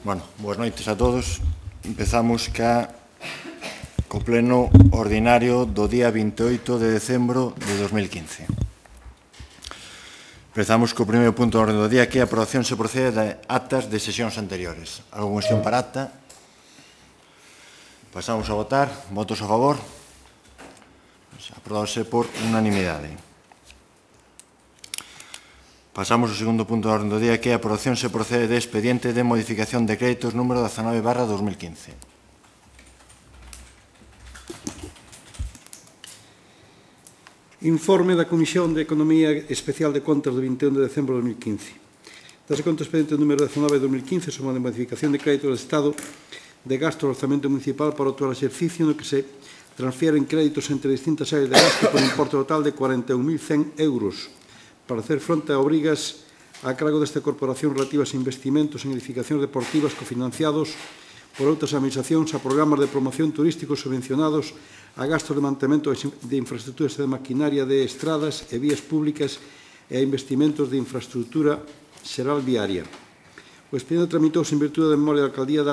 Bueno, boas noites a todos. Empezamos co pleno ordinario do día 28 de decembro de 2015. Empezamos co primeiro punto do orden do día, que é a aprobación se procede de actas de sesións anteriores. Algo cuestión para acta? Pasamos a votar. Votos a favor? Aprobándose por unanimidade. Pasamos ao segundo punto do orden do día, que é a aprobación se procede de expediente de modificación de créditos número 19/2015. Informe da Comisión de Economía Especial de Contas do 21 de decembro de 2015. Dase conta o expediente número 19 de 2015 sobre a modificación de créditos do Estado de gasto do orzamento municipal para o actual exercicio no que se transfieren créditos entre distintas áreas de gasto por importe total de 41.100 euros para hacer fronte a obrigas a cargo desta corporación relativas a investimentos en edificacións deportivas cofinanciados por outras administracións, a programas de promoción turísticos subvencionados, a gastos de mantemento de infraestructuras de maquinaria de estradas e vías públicas e a investimentos de infraestructura xeral viaria. O expediente tramitouse en virtude da memoria da Alcaldía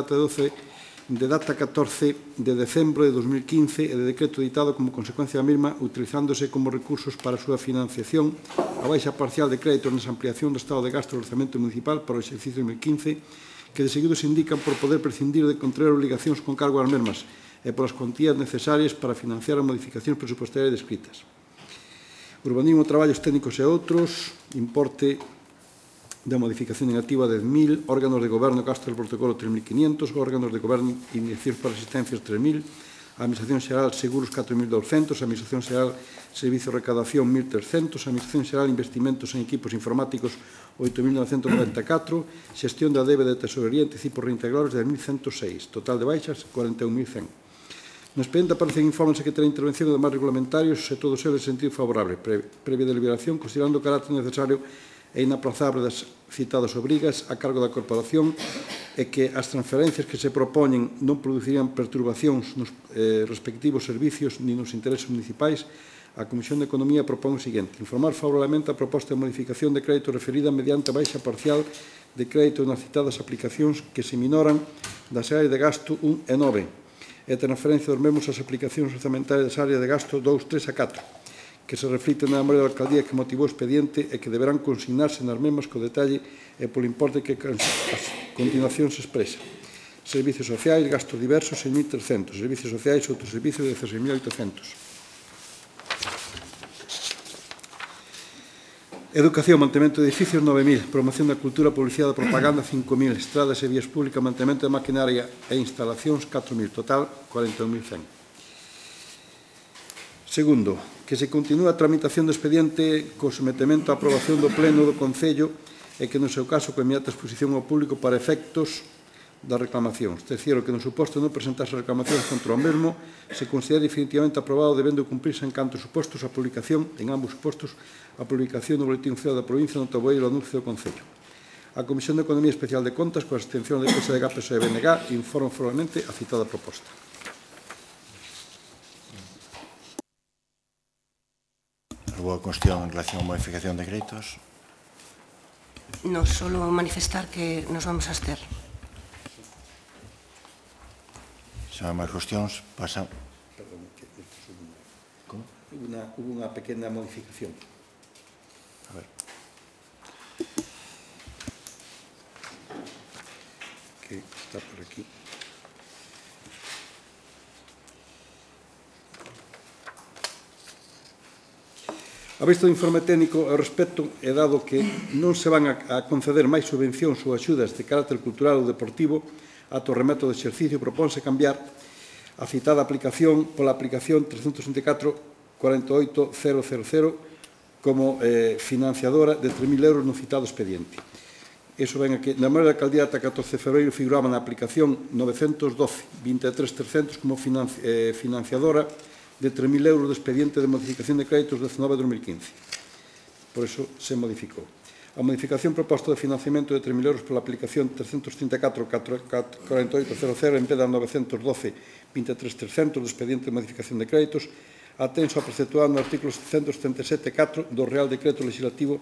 de data 14 de decembro de 2015 e de decreto editado como consecuencia da mesma, utilizándose como recursos para a súa financiación a baixa parcial de créditos nesa ampliación do estado de gasto do orzamento municipal para o exercicio 2015, que de seguido se indican por poder prescindir de contraer obligacións con cargo ás mesmas e polas contías necesarias para financiar as modificacións presupuestarias descritas. Urbanismo, traballos técnicos e outros, importe da modificación negativa de 10.000, órganos de goberno gasto del protocolo 3.500, órganos de goberno iniciacións para asistencias 3.000, Administración Xeral Seguros 4.200, Administración Xeral Servicio de Recadación 1.300, Administración Xeral Investimentos en Equipos Informáticos 8.994, Xestión da débeda de tesorería e anticipos reintegrables 10.106, total de baixas 41.100. No expediente aparecen informes da Secretaría de Intervención e demais regulamentarios e todos eles en sentido favorable, previa deliberación, considerando o carácter necesario e inaplazable das citadas obrigas a cargo da Corporación e que as transferencias que se propoñen non producirían perturbacións nos respectivos servicios ni nos intereses municipais, a Comisión de Economía propón o seguinte: informar favorablemente a proposta de modificación de crédito referida mediante a baixa parcial de crédito nas citadas aplicacións que se minoran das áreas de gasto 1 e 9 e transferencia dos mesmos ás aplicacións orzamentarias das áreas de gasto 2, 3 e 4. Que se reflite na memoria da Alcaldía que motivou o expediente e que deberán consignarse nas mesmas co detalle e polo importe que a continuación se expresa. Servicios sociais, gastos diversos, 6.300. Servicios sociais, outros servicios, 16.800. Educación, mantemento de edificios, 9.000. Promoción da cultura, publicidade e propaganda, 5.000. Estradas e vías públicas, mantemento de maquinaria e instalacións, 4.000. Total, 41.100. Segundo, que se continúa a tramitación do expediente co sometemento á aprobación do Pleno do Concello e que, no seu caso, co inmediata exposición ao público para efectos das reclamacións. Terceiro, que no suposto non presentarse reclamacións contra o mesmo, se considera definitivamente aprobado debendo cumprirse en canto supostos a publicación, en ambos supostos, a publicación no Boletín Oficial da Provincia no tabueiro do anuncio do Concello. A Comisión de Economía Especial de Contas, coa abstención de PSDG, PSOE e BNG, informa formalmente a citada proposta. Alguna cuestión en relación a modificación de créditos? No, solo manifestar que nos vamos a abster. Se non hai máis cuestións, pasa... Perdón, que como? Hubo unha pequena modificación. A ver. Que está por aquí. A vista do informe técnico ao respecto é dado que non se van a conceder máis subvencións ou axudas de carácter cultural ou deportivo ata o remeto do exercicio, propónse cambiar a citada aplicación pola aplicación 364-48000 como financiadora de 3.000 euros no citado expediente. Iso ven aquí. Na memoria da Alcaldía ata 14 de febreiro figuraba na aplicación 912-23.300 como financiadora de 3.000 euros do expediente de modificación de créditos 19/2015. Por iso se modificou. A modificación proposta de financiamento de 3.000 euros pola aplicación 334-4800 en vez da 912-23.300 do expediente de modificación de créditos atenso a preceptuado no artículo 777.4 do Real Decreto Legislativo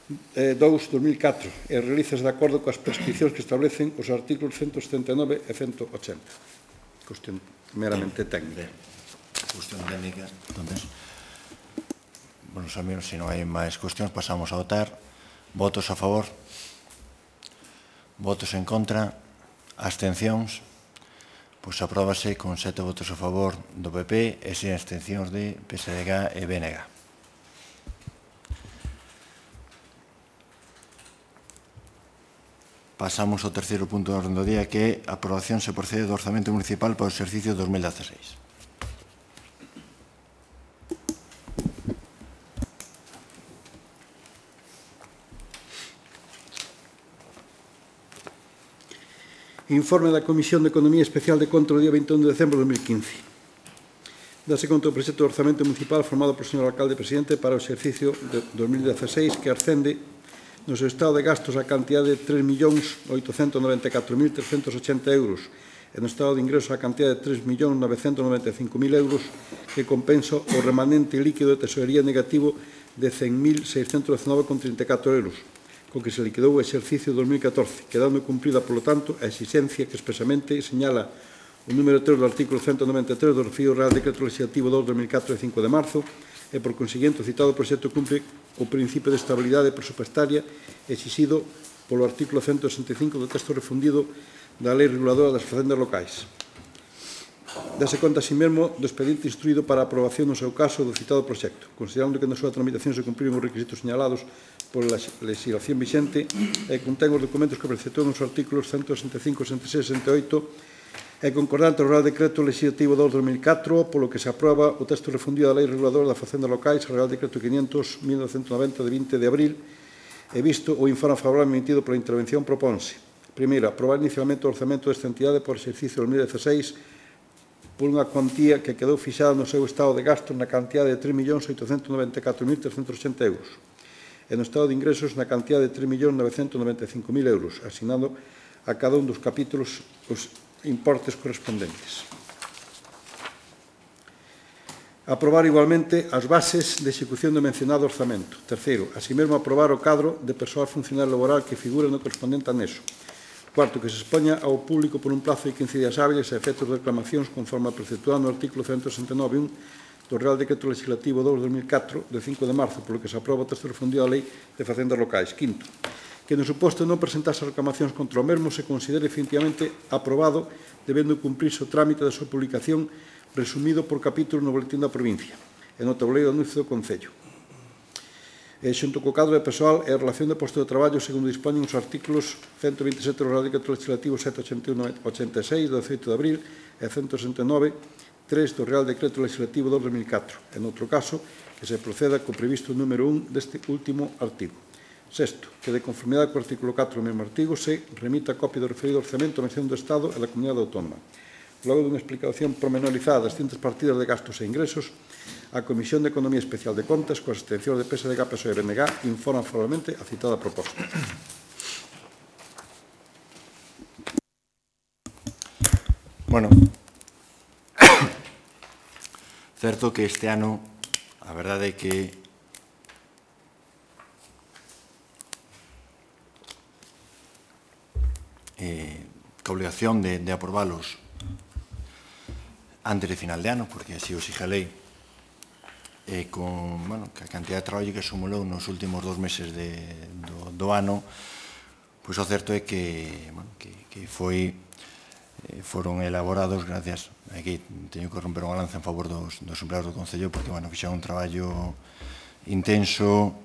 2/2004 e realizas de acordo coas prescripcións que establecen os artículos 179 e 180. Cuestión meramente técnica. Cuestión técnica. Entonces, bueno, amigos, se non hai máis cuestións, pasamos a votar. Votos a favor? Votos en contra? Abstencións? Pois apróbase con 7 votos a favor do PP e 6 abstencións de PSDG e BNG. Pasamos ao terceiro punto do orden do día, que é a aprobación se procede do orzamento municipal para o exercicio 2016. Informe da Comisión de Economía Especial de Contra o día 21 de decembro de 2015. Dase conta do proxecto de orzamento municipal formado por señor alcalde presidente para o exercicio de 2016 que ascende no seu estado de gastos a cantidade de 3.894.380 euros e no estado de ingresos a cantidade de 3.995.000 euros que compensa o remanente líquido de tesorería negativo de 100.619,34 euros, co que se liquidou o exercicio 2014, quedando cumprida, polo tanto, a exigencia que expresamente señala o número 3 do artículo 193 do referido Real Decreto Legislativo 2/2004 de 5 de marzo, e, por conseguinte, o citado proxecto cumpre o principio de estabilidade presupuestaria exixido polo artículo 165 do texto refundido da Lei Reguladora das Facendas Locais. Dase conta, así mesmo, do expediente instruído para a aprobación no seu caso do citado proxecto, considerando que na súa tramitación se cumpriron os requisitos señalados pola legislación vixente e contén os documentos que preceptúan os artículos 165, 66 e 68 é concordante ao Real Decreto Legislativo 2/2004, polo que se aproba o texto refundido da Lei Reguladora da Facenda Locais, o Real Decreto 500/1990 de 20 de abril, e visto o informe favorable emitido pola intervención, proponse: primeiro, aprobar inicialmente o orzamento desta entidade por exercicio 2016 por unha cuantía que quedou fixada no seu estado de gastos na cantidade de 3.894.380 euros e no estado de ingresos na cantidade de 3.995.000 euros, asignando a cada un dos capítulos os importes correspondentes. Aprobar igualmente as bases de execución do mencionado orzamento. Terceiro, así mesmo aprobar o cadro de persoal funcionario laboral que figura no correspondente anexo. Cuarto, que se expoña ao público por un plazo de 15 días hábiles a efectos de reclamacións conforme a preceptuado no artículo 169.1 do Real Decreto Legislativo 2/2004 de 5 de marzo, polo que se aproba o texto refundido da Lei de Facendas Locais. Quinto, que no suposto non presentase reclamacións contra o mesmo se considere definitivamente aprobado, debendo cumprirse o trámite da súa publicación resumido por capítulo no boletín da provincia e no tabuleiro de anuncio do Concello. Xunto co cadro de persoal e a relación de posto de traballo segundo dispoñen os artículos 127 do Real Decreto Legislativo 781/86 do 18 de abril e 169/3 do Real Decreto Legislativo 2/2004. En outro caso, que se proceda co previsto número 1 deste último artigo. Sexto, que de conformidade co artículo 4 do mesmo artigo se remita a copia do referido orzamento á Administración do Estado e da Comunidade Autónoma. Logo dunha explicación pormenorizada das distintas partidas de gastos e ingresos, a Comisión de Economía Especial de Contas, coas abstencións de PSDG, PSOE e BNG, informa formalmente a citada proposta. Bueno, certo que este ano a verdade é que a obligación de aprobalos antes de final de ano, porque así o exige a lei, con a cantidad de traballo que acumulou nos últimos 2 meses do ano, pois o certo é que foron elaborados gracias, aquí teño que romper unha lanza en favor dos empleados do Concello, porque fixeron un traballo intenso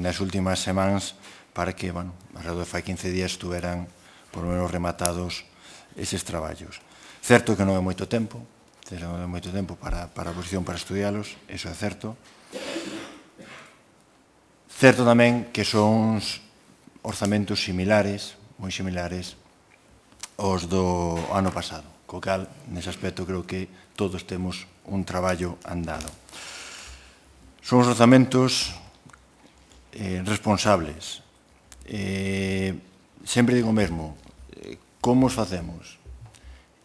nas últimas semanas para que, alrededor de fai 15 días estuveran por lo menos rematados eses traballos. Certo que non é moito tempo para a oposición para estudialos, iso é certo. Certo tamén que son orzamentos similares, moi similares, aos do ano pasado, co cal, nese aspecto, creo que todos temos un traballo andado. Son os orzamentos responsables. Sempre digo o mesmo, como os facemos?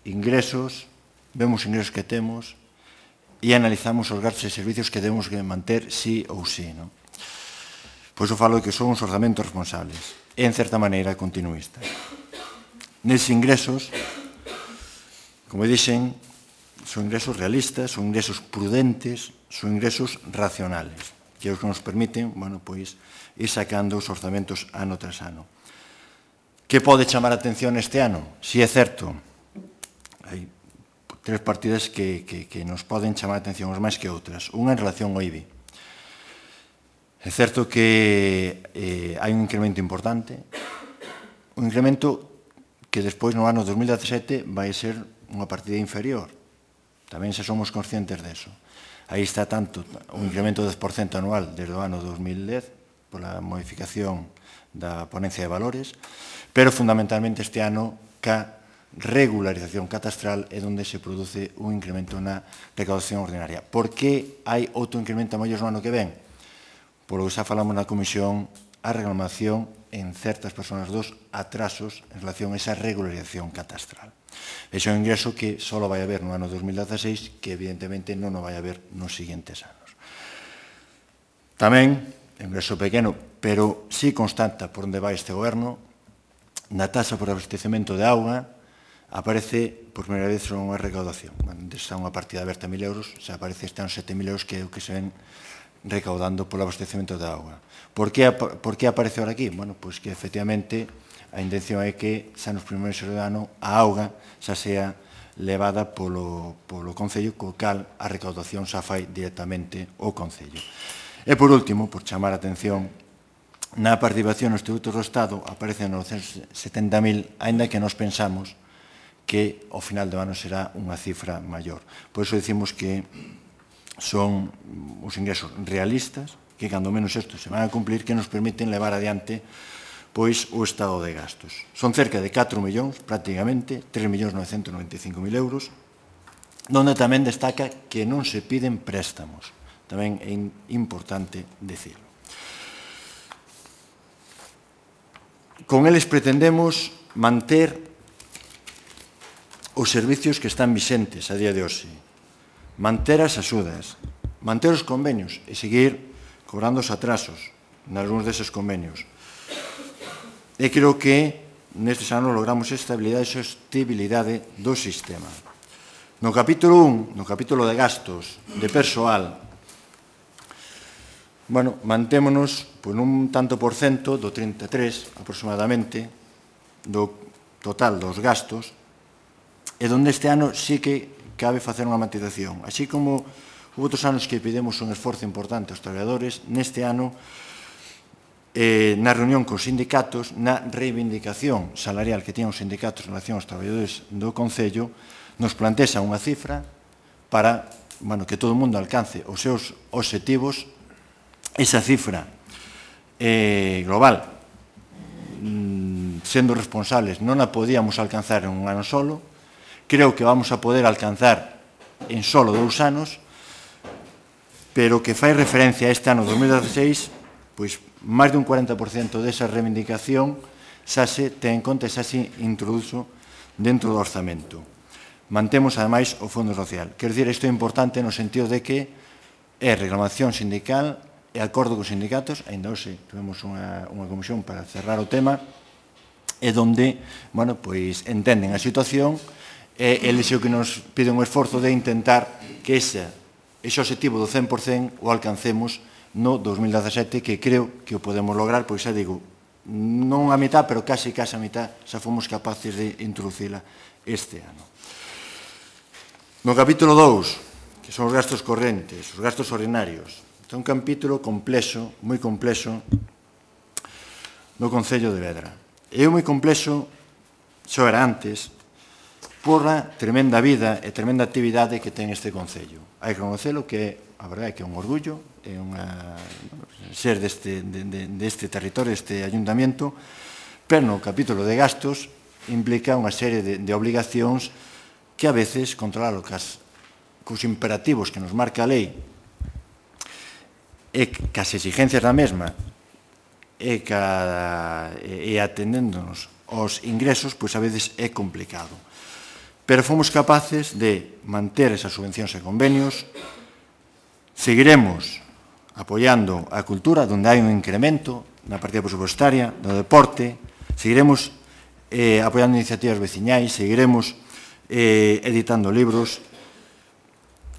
Ingresos, vemos os ingresos que temos e analizamos os gastos e servicios que debemos manter sí ou sí. Pois eu falo que son uns orzamentos responsables e, en certa maneira, continuistas. Neses ingresos, como dixen, son ingresos realistas, son ingresos prudentes, son ingresos racionales, que é os que nos permiten, ir sacando os orzamentos ano tras ano. Que pode chamar a atención este ano? Si é certo, hai tres partidas que nos poden chamar a atención os máis que outras. Unha en relación ao IBI. É certo que hai un incremento importante, un incremento que despois no ano 2017 vai ser unha partida inferior. Tamén se somos conscientes deso. Aí está tanto un incremento de 10% anual desde o ano 2010 pola modificación da ponencia de valores, pero fundamentalmente este ano ca regularización catastral é onde se produce un incremento na recaudación ordinaria. Por que hai outro incremento a maiores no ano que ven? Polo que xa falamos na comisión, a reclamación en certas persoas dos atrasos en relación a esa regularización catastral. Ese é un ingreso que só vai haber no ano 2016, que evidentemente non o vai haber nos seguintes anos. Tamén, ingreso pequeno, pero sí constata por onde vai este goberno, na taxa por abastecemento de auga aparece por primeira vez unha recaudación. Está unha partida aberta a 1.000 euros, se aparece este ano 7.000 euros, que é o que se ven recaudando polo abastecemento de auga. Por que aparece ahora aquí? Bueno, pois que efectivamente a intención é que xa nos primeiros meses do ano a auga xa sea levada polo Concello, co cal a recaudación xa fai directamente o Concello. E por último, por chamar a atención, na participación nos tributos do Estado aparecen 970.000, aínda que nos pensamos que ao final do ano será unha cifra maior. Por iso dicimos que son os ingresos realistas, que cando menos estos se van a cumplir, que nos permiten levar adiante pois o estado de gastos. Son cerca de 4 millóns, prácticamente, 3.995.000 euros, donde tamén destaca que non se piden préstamos. Tamén é importante dicirlo. Con eles pretendemos manter os servicios que están vixentes a día de hoxe, manter as axudas, manter os convenios e seguir cobrando os atrasos nalgúns deses convenios. E creo que nestes anos logramos estabilidade e sostibilidade do sistema. No capítulo 1, no capítulo de gastos de persoal, mantémonos nun tanto por cento do 33 aproximadamente do total dos gastos, e donde este ano sí que cabe facer unha matización. Así como houve outros anos que pedimos un esforzo importante aos traballadores, neste ano, na reunión cos sindicatos, na reivindicación salarial que tiñan os sindicatos en relación aos traballadores do Concello, nos plantexa unha cifra para que todo o mundo alcance os seus obxectivos. Esa cifra global, sendo responsables, non a podíamos alcanzar en un ano solo. Creo que vamos a poder alcanzar en solo 2 anos, pero que fai referencia a este ano 2016, pois máis de un 40% desa reivindicación xa se ten en conta e xa se introduzo dentro do orzamento. Mantemos, ademais, o Fondo Social. Quero dicir, isto é importante no sentido de que é reclamación sindical e acordo cos sindicatos, ainda hoxe tuvemos unha comisión para cerrar o tema, e donde, entenden a situación e eles o que nos piden un esforzo de intentar que ese obxectivo do 100% o alcancemos no 2017, que creo que o podemos lograr, pois xa digo, non a mitad, pero case a mitad, xa fomos capaces de introducila este ano. No capítulo 2, que son os gastos correntes, os gastos ordinarios, é un capítulo complexo, moi complexo, no Concello de Vedra. É moi complexo, xo era antes, por a tremenda vida e tremenda actividade que ten este Concello. Hai que conocelo, que a verdade é que é un orgullo, é ser deste territorio, deste ayuntamiento, pero no capítulo de gastos implica unha serie de obligacións que a veces controlar cos imperativos que nos marca a lei e cas exigencias da mesma e atendéndonos aos ingresos, pois a veces é complicado. Pero fomos capaces de manter esas subvencións e convenios, seguiremos apoiando a cultura, onde hai un incremento na partida presupuestaria, do deporte, seguiremos apoiando iniciativas veciñais, seguiremos editando libros.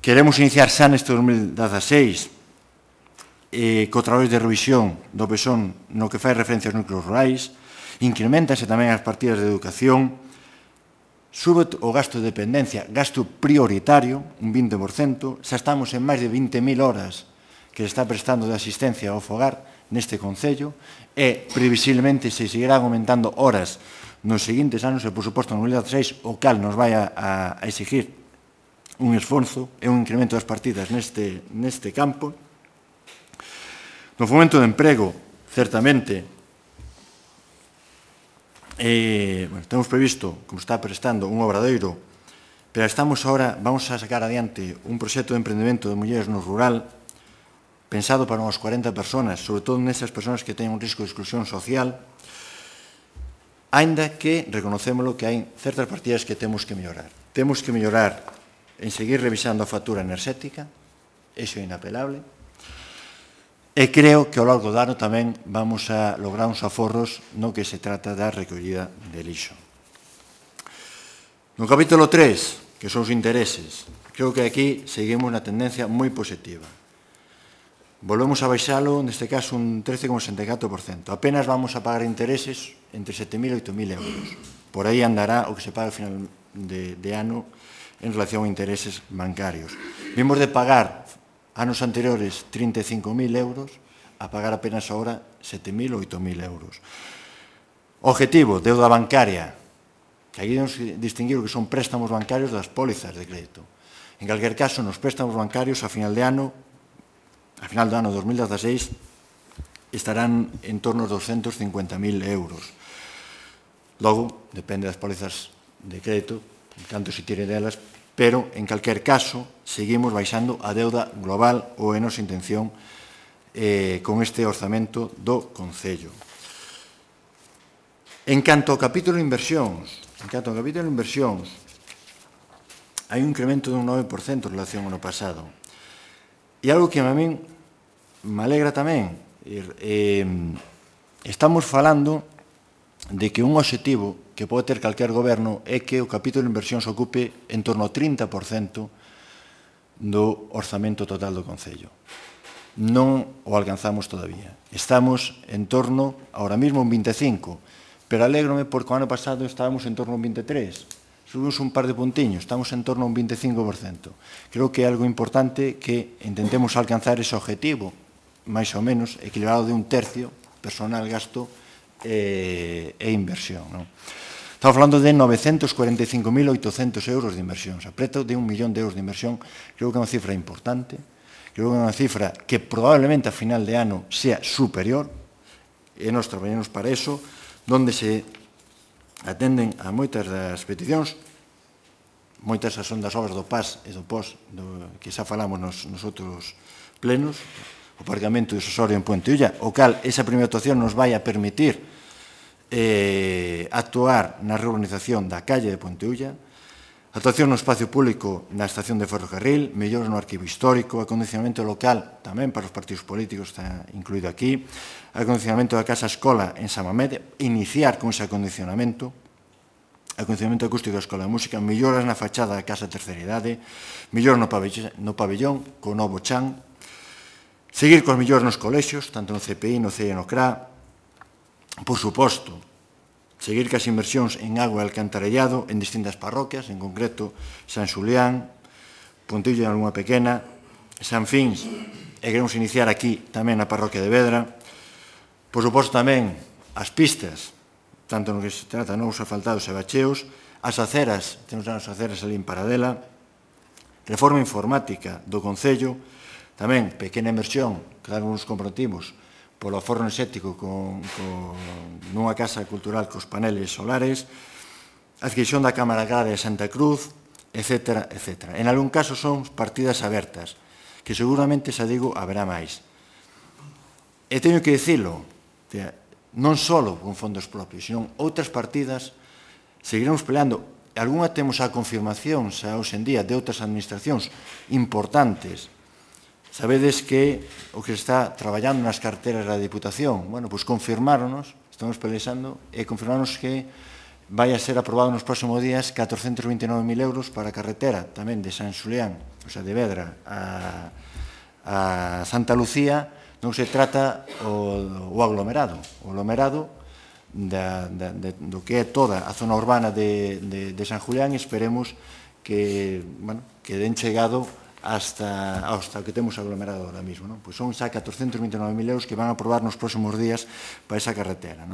Queremos iniciar xa neste 2016 co traballo de revisión do PSON no que fai referencia aos núcleos rurais, incrementanse tamén as partidas de educación, sube o gasto de dependencia, gasto prioritario, un 20%, xa estamos en máis de 20.000 horas que se está prestando de asistencia ao fogar neste Concello e previsiblemente se seguirán aumentando horas nos seguintes anos e, por suposto, en 2016, o cal nos vai a exigir un esforzo e un incremento das partidas neste campo. No fomento de emprego, certamente, temos previsto, como está prestando, un obradoiro, pero vamos a sacar adiante un proxecto de emprendemento de mulleres no rural pensado para unhas 40 personas, sobre todo nesas personas que teñen un risco de exclusión social, aínda que reconocémolo que hai certas partidas que temos que mellorar. Temos que mellorar en seguir revisando a factura enerxética, iso é inapelable, e creo que ao longo do ano tamén vamos a lograr uns aforros no que se trata da recollida de lixo. No capítulo 3, que son os intereses, creo que aquí seguimos unha tendencia moi positiva. Volvemos a baixalo, neste caso, un 13,64%. Apenas vamos a pagar intereses entre 7.000 e 8.000 euros. Por aí andará o que se paga ao final de ano en relación a intereses bancarios. Vimos de pagar anos anteriores 35.000 euros a pagar apenas ahora 7.000 ou 8.000 euros. Objetivo, deuda bancaria, que aquí debemos distinguir o que son préstamos bancarios das pólizas de crédito. En calquer caso, nos préstamos bancarios a final do ano 2016 estarán en torno aos 250.000 euros. Logo, depende das pólizas de crédito, canto se tire delas, pero, en calquer caso, seguimos baixando a deuda global ou é nosa intención con este orzamento do Concello. En canto ao capítulo de inversións, hai un incremento dun 9% en relación ao ano pasado. E algo que a min me alegra tamén, estamos falando de que un obxectivo que pode ter calquer goberno é que o capítulo de inversións ocupe en torno ao 30% do orzamento total do Concello. Non o alcanzamos todavía. Estamos en torno, ahora mismo, un 25%, pero alégrome porque o ano pasado estábamos en torno a un 23%. Subimos un par de puntiños, estamos en torno a un 25%. Creo que é algo importante que intentemos alcanzar ese objetivo, máis ou menos, equilibrado de un tercio, personal, gasto e inversión. Estamos falando de 945.800 euros de inversión, preto de 1 millón de euros de inversión. Creo que é unha cifra importante, creo que é unha cifra que probablemente a final de ano sea superior, e nós traballamos para eso, donde se atenden a moitas das peticións, moitas son das obras do PAS e do POS, que xa falamos nos outros plenos, o aparcamento de Sosorio en Puente Ulla, o cal esa primeira actuación nos vai a permitir actuar na reurbanización da calle de Puente Ulla, actuación no espacio público na estación de ferrocarril, mellores no arquivo histórico, acondicionamento local tamén para os partidos políticos, está incluído aquí, acondicionamento da casa escola en Samamede, iniciar con ese acondicionamento acústico da Escola de Música, melloras na fachada da Casa Terceira Idade, melloras no pabellón, co novo chan, seguir cos mellores nos colexios, tanto no CPI, no CEI e no CRA, por suposto, seguir cas inversións en agua e alcantarellado en distintas parroquias, en concreto San Xulián, Puntillo en Algunha Pequena, San Fins, e queremos iniciar aquí tamén na parroquia de Vedra, por suposto tamén as pistas, tanto no que se trata de novos asfaltados e bacheos, as aceras, temos as aceras ali en Paradela, reforma informática do Concello, tamén pequena inversión, que damos nos comprometimos, polo aforro enerxético nunha casa cultural cos paneles solares, adquisición da Cámara Agraria de Santa Cruz, etc. En algún caso son partidas abertas, que seguramente, xa digo, haberá máis. E teño que dicilo, non só con fondos propios, sino outras partidas seguiremos peleando. Algúna temos a confirmación xa hoxe en día de outras administracións importantes Sabedes que o que se está traballando nas carteras da Diputación, bueno, pois confirmáronos, estamos pelexando, e confirmáronos que vai a ser aprobado nos próximos días 429.000 euros para a carretera tamén de San Xulián, o sea, de Vedra a Santa Lucía. Non se trata o aglomerado. O aglomerado do que é toda a zona urbana de San Julián, e esperemos que den chegado hasta o que temos aglomerado ahora mismo. Pois son xa 429.000 euros que van a aprobar nos próximos días para esa carretera.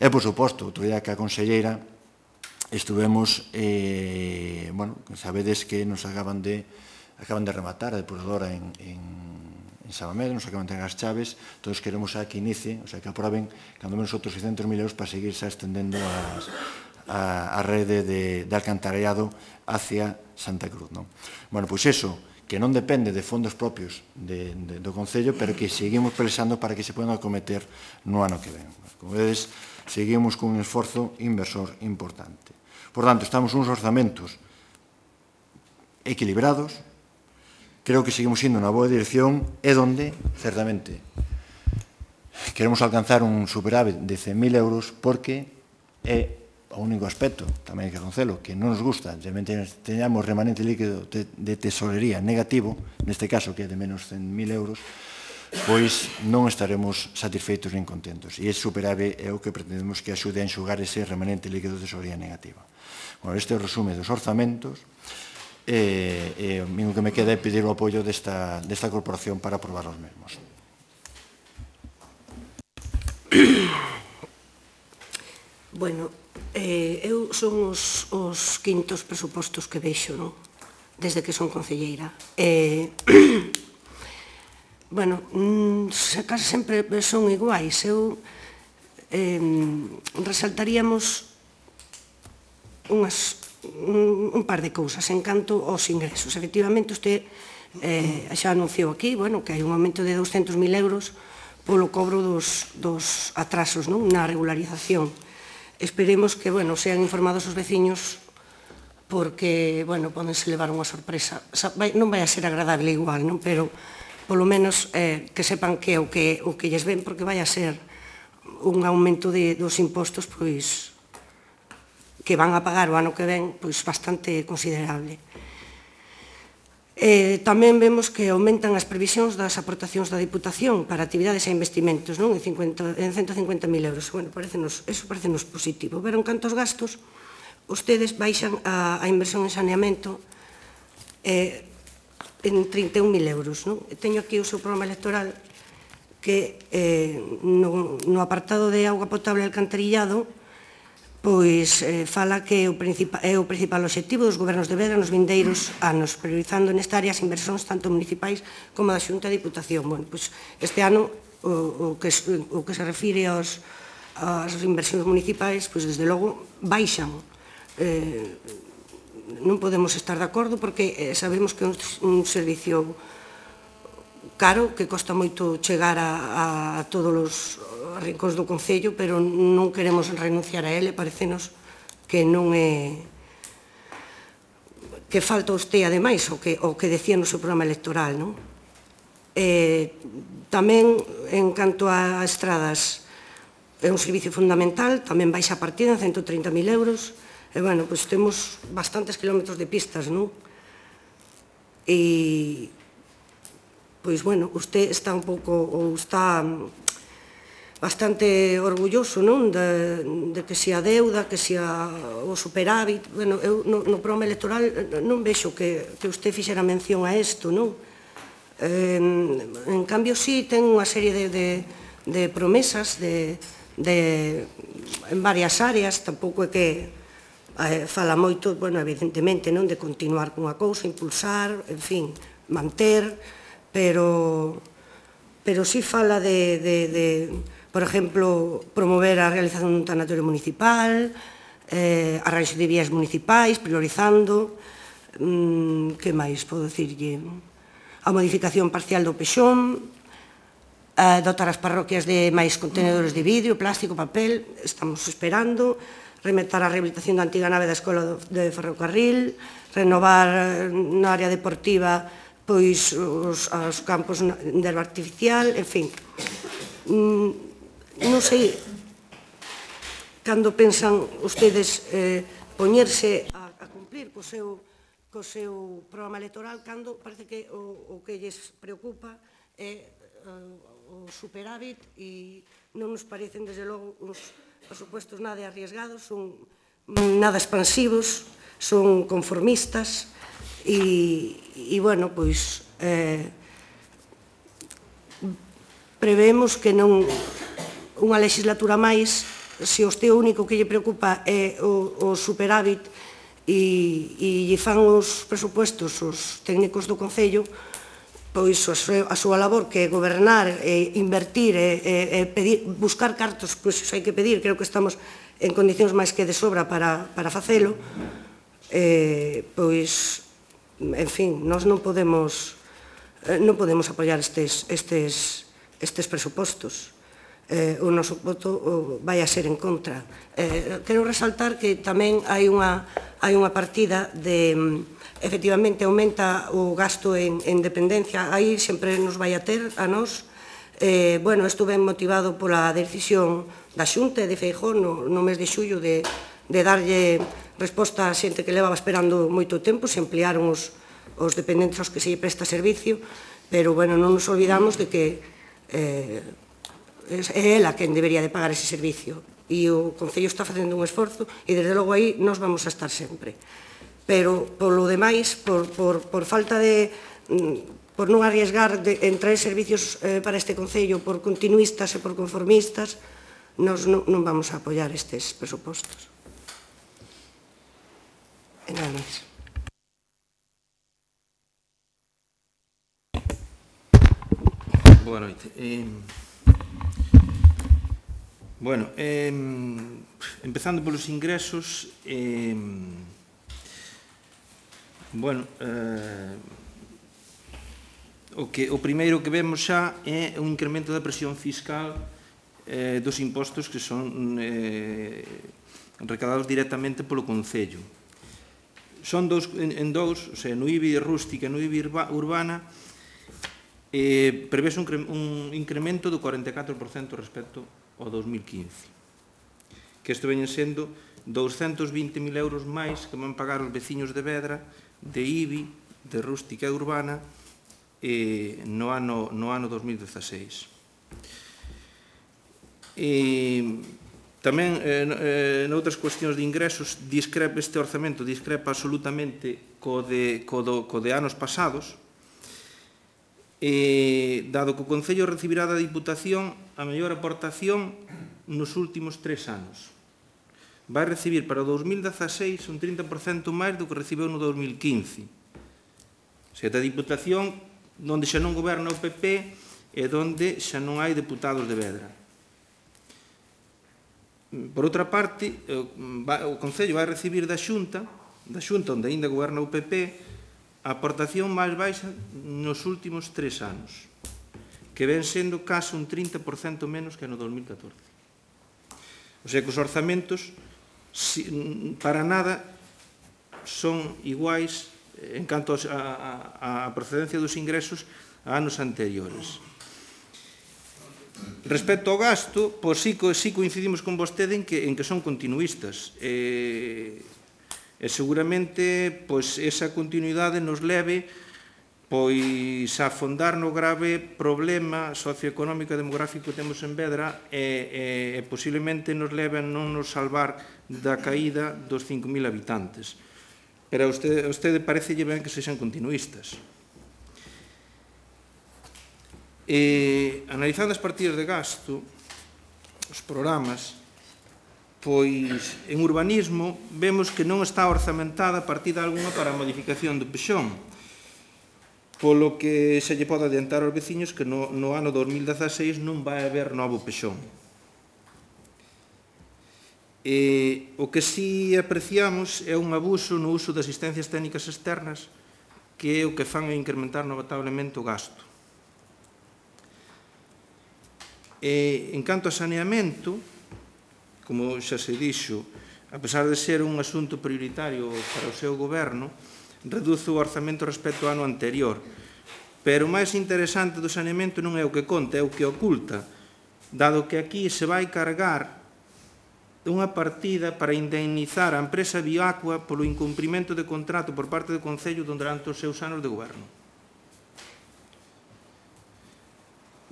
E, por suposto, outro día que a conselleira estuvemos, sabedes que nos acaban de rematar a depuradora en Sabamedo, nos acaban de entregar as chaves, todos queremos que inicie, o sea, que aproben cando menos outros 600.000 euros para seguir xa estendendo a rede de alcantarillado hacia Santa Cruz. Bueno, pois iso, que non depende de fondos propios do Concello, pero que seguimos pelexando para que se podan acometer no ano que ven. Como vedes, seguimos con un esforzo inversor importante. Por tanto, estamos uns orzamentos equilibrados, creo que seguimos indo na boa dirección, e donde, certamente, queremos alcanzar un superávit de 100.000 euros, porque é o único aspecto, tamén hai que recoñecelo, que non nos gusta, teñamos remanente líquido de tesorería negativo, neste caso que é de menos 100.000 euros, pois non estaremos satisfeitos nin contentos. E ese superávit é o que pretendemos que axude a enxugar ese remanente líquido de tesorería negativa. Bueno, este é o resume dos orzamentos, e o único que me queda é pedir o apoio desta corporación para aprobar os mesmos. Bueno, eu son os quintos presupostos que vexo, desde que son concelleira. Bueno, case sempre son iguais. Eu resaltaríamos un par de cousas en canto aos ingresos. Efectivamente, usted xa anunciou aquí que hai un aumento de 200.000 euros polo cobro dos atrasos na regularización. Esperemos que sean informados os veciños, porque podense levar unha sorpresa. Non vai a ser agradable igual, pero polo menos que sepan que o que lles ven, porque vai a ser un aumento dos impostos que van a pagar o ano que ven bastante considerable. Tamén vemos que aumentan as previsións das aportacións da Diputación para actividades e investimentos en 150.000 euros. Eso parecenos positivo. Pero en canto aos gastos, ustedes baixan a inversión en saneamento en 31.000 euros. Teño aquí o seu programa electoral que no apartado de auga potable e alcantarillado fala que é o principal obxectivo dos gobernos de Vedra nos vindeiros anos, priorizando nesta área as inversións tanto municipais como da Xunta e Diputación. Este ano, o que se refire ás inversións municipais, desde logo, baixan. Non podemos estar de acordo porque sabemos que é un servicio caro, que costa moito chegar a todos os rincóns do Concello, pero non queremos renunciar a ele. Parecenos que non é que falta usted, ademais, o que decía no seu programa electoral. Tamén, en canto a estradas, é un servicio fundamental, tamén baixa a partida en 130.000 euros, e, temos bastantes kilómetros de pistas, e, usted está un pouco, ou está bastante orgulloso de que se a deuda, que se o superávit. Eu no programa electoral non vexo que usted fixera mención a isto. En cambio, sí, ten unha serie de promesas en varias áreas. Tampouco é que fala moito, evidentemente, de continuar cunha cousa, impulsar, en fin, manter, pero sí fala de, por exemplo, promover a realización dun tanatorio municipal, arranxo de vías municipais, priorizando, que máis podo dicirlle? A modificación parcial do pexón, dotar as parroquias de máis contenedores de vidro, plástico, papel, estamos esperando, remetar a rehabilitación da antiga nave da Escola de Ferrocarril, renovar na área deportiva pois os campos de herba artificial, en fin. Non sei, cando pensan ustedes poñerse a cumplir co seu programa electoral, cando parece que o que lles preocupa é o superávit e non nos parecen, desde logo, uns presupuestos nada arriesgados, son nada expansivos, son conformistas e bueno, pois prevemos que non unha legislatura máis, se o único que lle preocupa é o superávit e lle fan os presupuestos os técnicos do Concello, pois a súa labor, que é gobernar, invertir, buscar cartos, pois hai que pedir, creo que estamos en condicións máis que de sobra para facelo, pois, en fin, nós non podemos apoiar estes presupostos. O noso voto vai a ser en contra. Quero resaltar que tamén hai unha partida de, efectivamente, aumenta o gasto en dependencia, aí sempre nos vai a ter a nós. Bueno, isto ben motivado pola decisión da Xunta de Feijóo no mes de xullo de darlle resposta a xente que levaba esperando moito tempo, se ampliaron os dependentes aos que se lle presta servicio, pero, bueno, non nos olvidamos de que é ela quen debería de pagar ese servicio e o Concello está facendo un esforzo e desde logo aí nos vamos a estar sempre, pero polo demais, por falta de por non arriesgar en traer servicios para este Concello por continuistas e por conformistas, nos non vamos a apoiar estes presupostos. E nada máis. Boa noite. Bueno, empezando polos ingresos, bueno, o primeiro que vemos xa é un incremento da presión fiscal dos impostos que son recadados directamente polo Concello. Son en dous, o sea, no IBI rústica e no IBI urbana, prevese un incremento do 44% respecto ao 2015, que isto veñen sendo 220.000 euros máis que van pagar os veciños de Vedra, de IBI, de rústica e urbana, no ano 2016. Tamén, noutras cuestións de ingresos, este orzamento discrepa absolutamente co de anos pasados, dado que o Concello recibirá da Diputación a mellor aportación nos últimos 3 anos. Vai recibir para o 2016 un 30% máis do que recibeu no 2015. O sea, da Diputación, onde xa non goberna o PP e onde xa non hai deputados de Vedra. Por outra parte, o Concello vai recibir da Xunta onde ainda goberna o PP, a aportación máis baixa nos últimos 3 anos, que ven sendo case un 30% menos que no 2014. O sea que os orzamentos para nada son iguais en canto a procedencia dos ingresos a anos anteriores. Respecto ao gasto, pois sí coincidimos con vostede en que son continuistas. E seguramente esa continuidade nos leve a afondar no grave problema socioeconómico e demográfico que temos en Vedra e posiblemente nos leve a non nos salvar da caída dos 5.000 habitantes. Pero a vostede parecelle ben que sexan continuistas. Analizando as partidas de gasto, os programas, pois en urbanismo vemos que non está orzamentada partida algunha para a modificación do Pexón, polo que se lle pode adiantar aos veciños que no ano 2016 non vai haber novo Pexón. O que si apreciamos é un abuso no uso de asistencias técnicas externas, que é o que fan a incrementar notablemente o gasto. En canto a saneamento, como xa se dixo, a pesar de ser un asunto prioritario para o seu goberno, reduce o orzamento respecto ao ano anterior. Pero o máis interesante do saneamento non é o que conta, é o que oculta, dado que aquí se vai cargar unha partida para indemnizar a empresa Bioaqua polo incumprimento de contrato por parte do Concello durante os seus anos de goberno.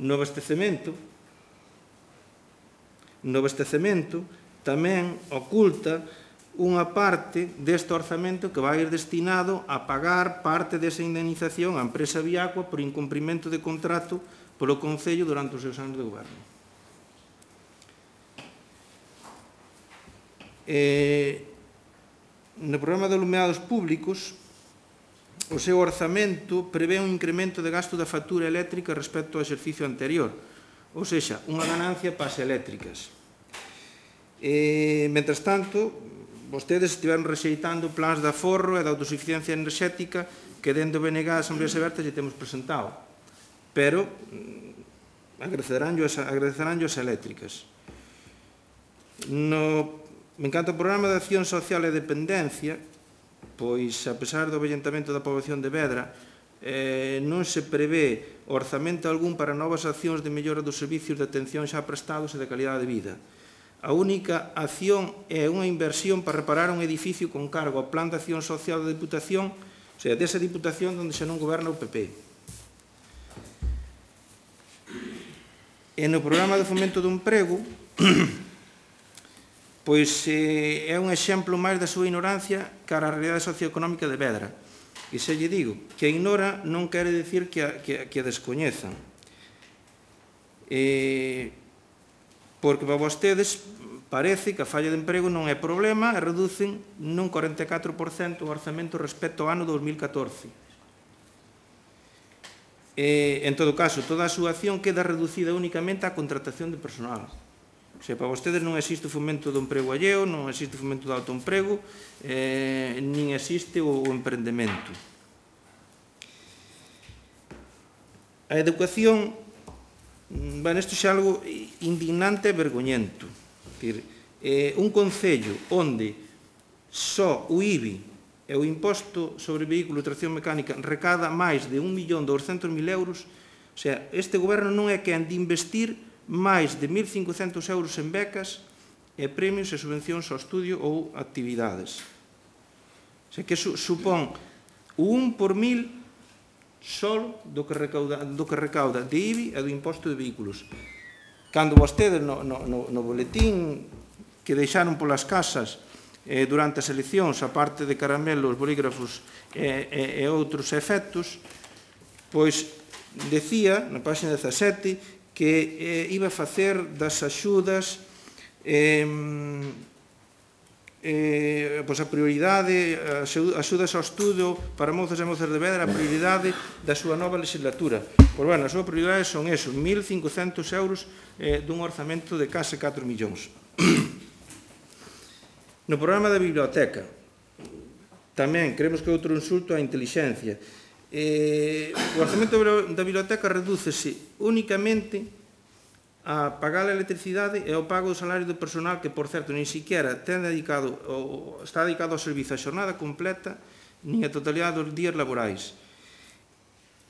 No abastecemento tamén oculta unha parte deste orzamento que vai ir destinado a pagar parte desa indemnización á empresa Bioaqua por incumprimento de contrato polo Concello durante os seus anos de goberno. No programa de alumeados públicos, o seu orzamento prevé un incremento de gasto da factura eléctrica respecto ao exercicio anterior, ou seja, unha ganancia para as eléctricas. Mentres tanto, vostedes estiveron rexeitando plans de aforro e de autosuficiencia enerxética que dentro do BNG a Asambleas Abertas lle temos presentado, pero agradeceránllo as eléctricas. Me encanta o programa de acción social e dependencia, pois, a pesar do avellentamento da poboación de Vedra, non se prevé orzamento algún para novas accións de mellora dos servicios de atención xa prestados e de calidade de vida. A única acción é unha inversión para reparar un edificio con cargo ao Plan de Acción Social da Diputación, ou sea, desa Diputación onde xa non goberna o PP. E no programa de fomento do emprego, pois é un exemplo máis da súa ignorancia cara á realidade socioeconómica de Vedra. E se lle digo que a ignora non quere dicir que a descoñezan. Porque para vostedes parece que a falla de emprego non é problema e reducen nun 44% o orzamento respecto ao ano 2014. En todo caso, toda a súa acción queda reducida únicamente á contratación de personal. O sea, para vostedes non existe o fomento do emprego alleo, non existe o fomento do autoemprego, nin existe o emprendemento. A educación, isto é algo indignante e vergoñento. Un concello onde só o IBI e o imposto sobre vehículo de tracción mecánica recada máis de 1.200.000 euros, o sea, este goberno non é quen de investir máis de 1.500 euros en becas e premios e subvencións ao estudio ou actividades. O sea, que supón o 1 por 1.000 só do que recauda de IBI e do imposto de vehículos. Cando vostedes no boletín que deixaron polas casas durante as eleccións, a parte de caramelos, bolígrafos e outros efectos, pois decía na página 17 que iba a facer das axudas a prioridade, axudas ao estudo para mozos e mozas de Vedra, a prioridade da súa nova legislatura. Pois, bueno, a súa prioridade son eso, 1.500 euros dun orzamento de case 4 millóns. No programa da biblioteca, tamén creemos que é outro insulto á intelixencia. O orzamento da biblioteca redúcese únicamente a pagar a electricidade e ao pago do salario do personal que, por certo, nin siquiera está dedicado ao servizo a xornada completa nin a totalidade dos días laborais.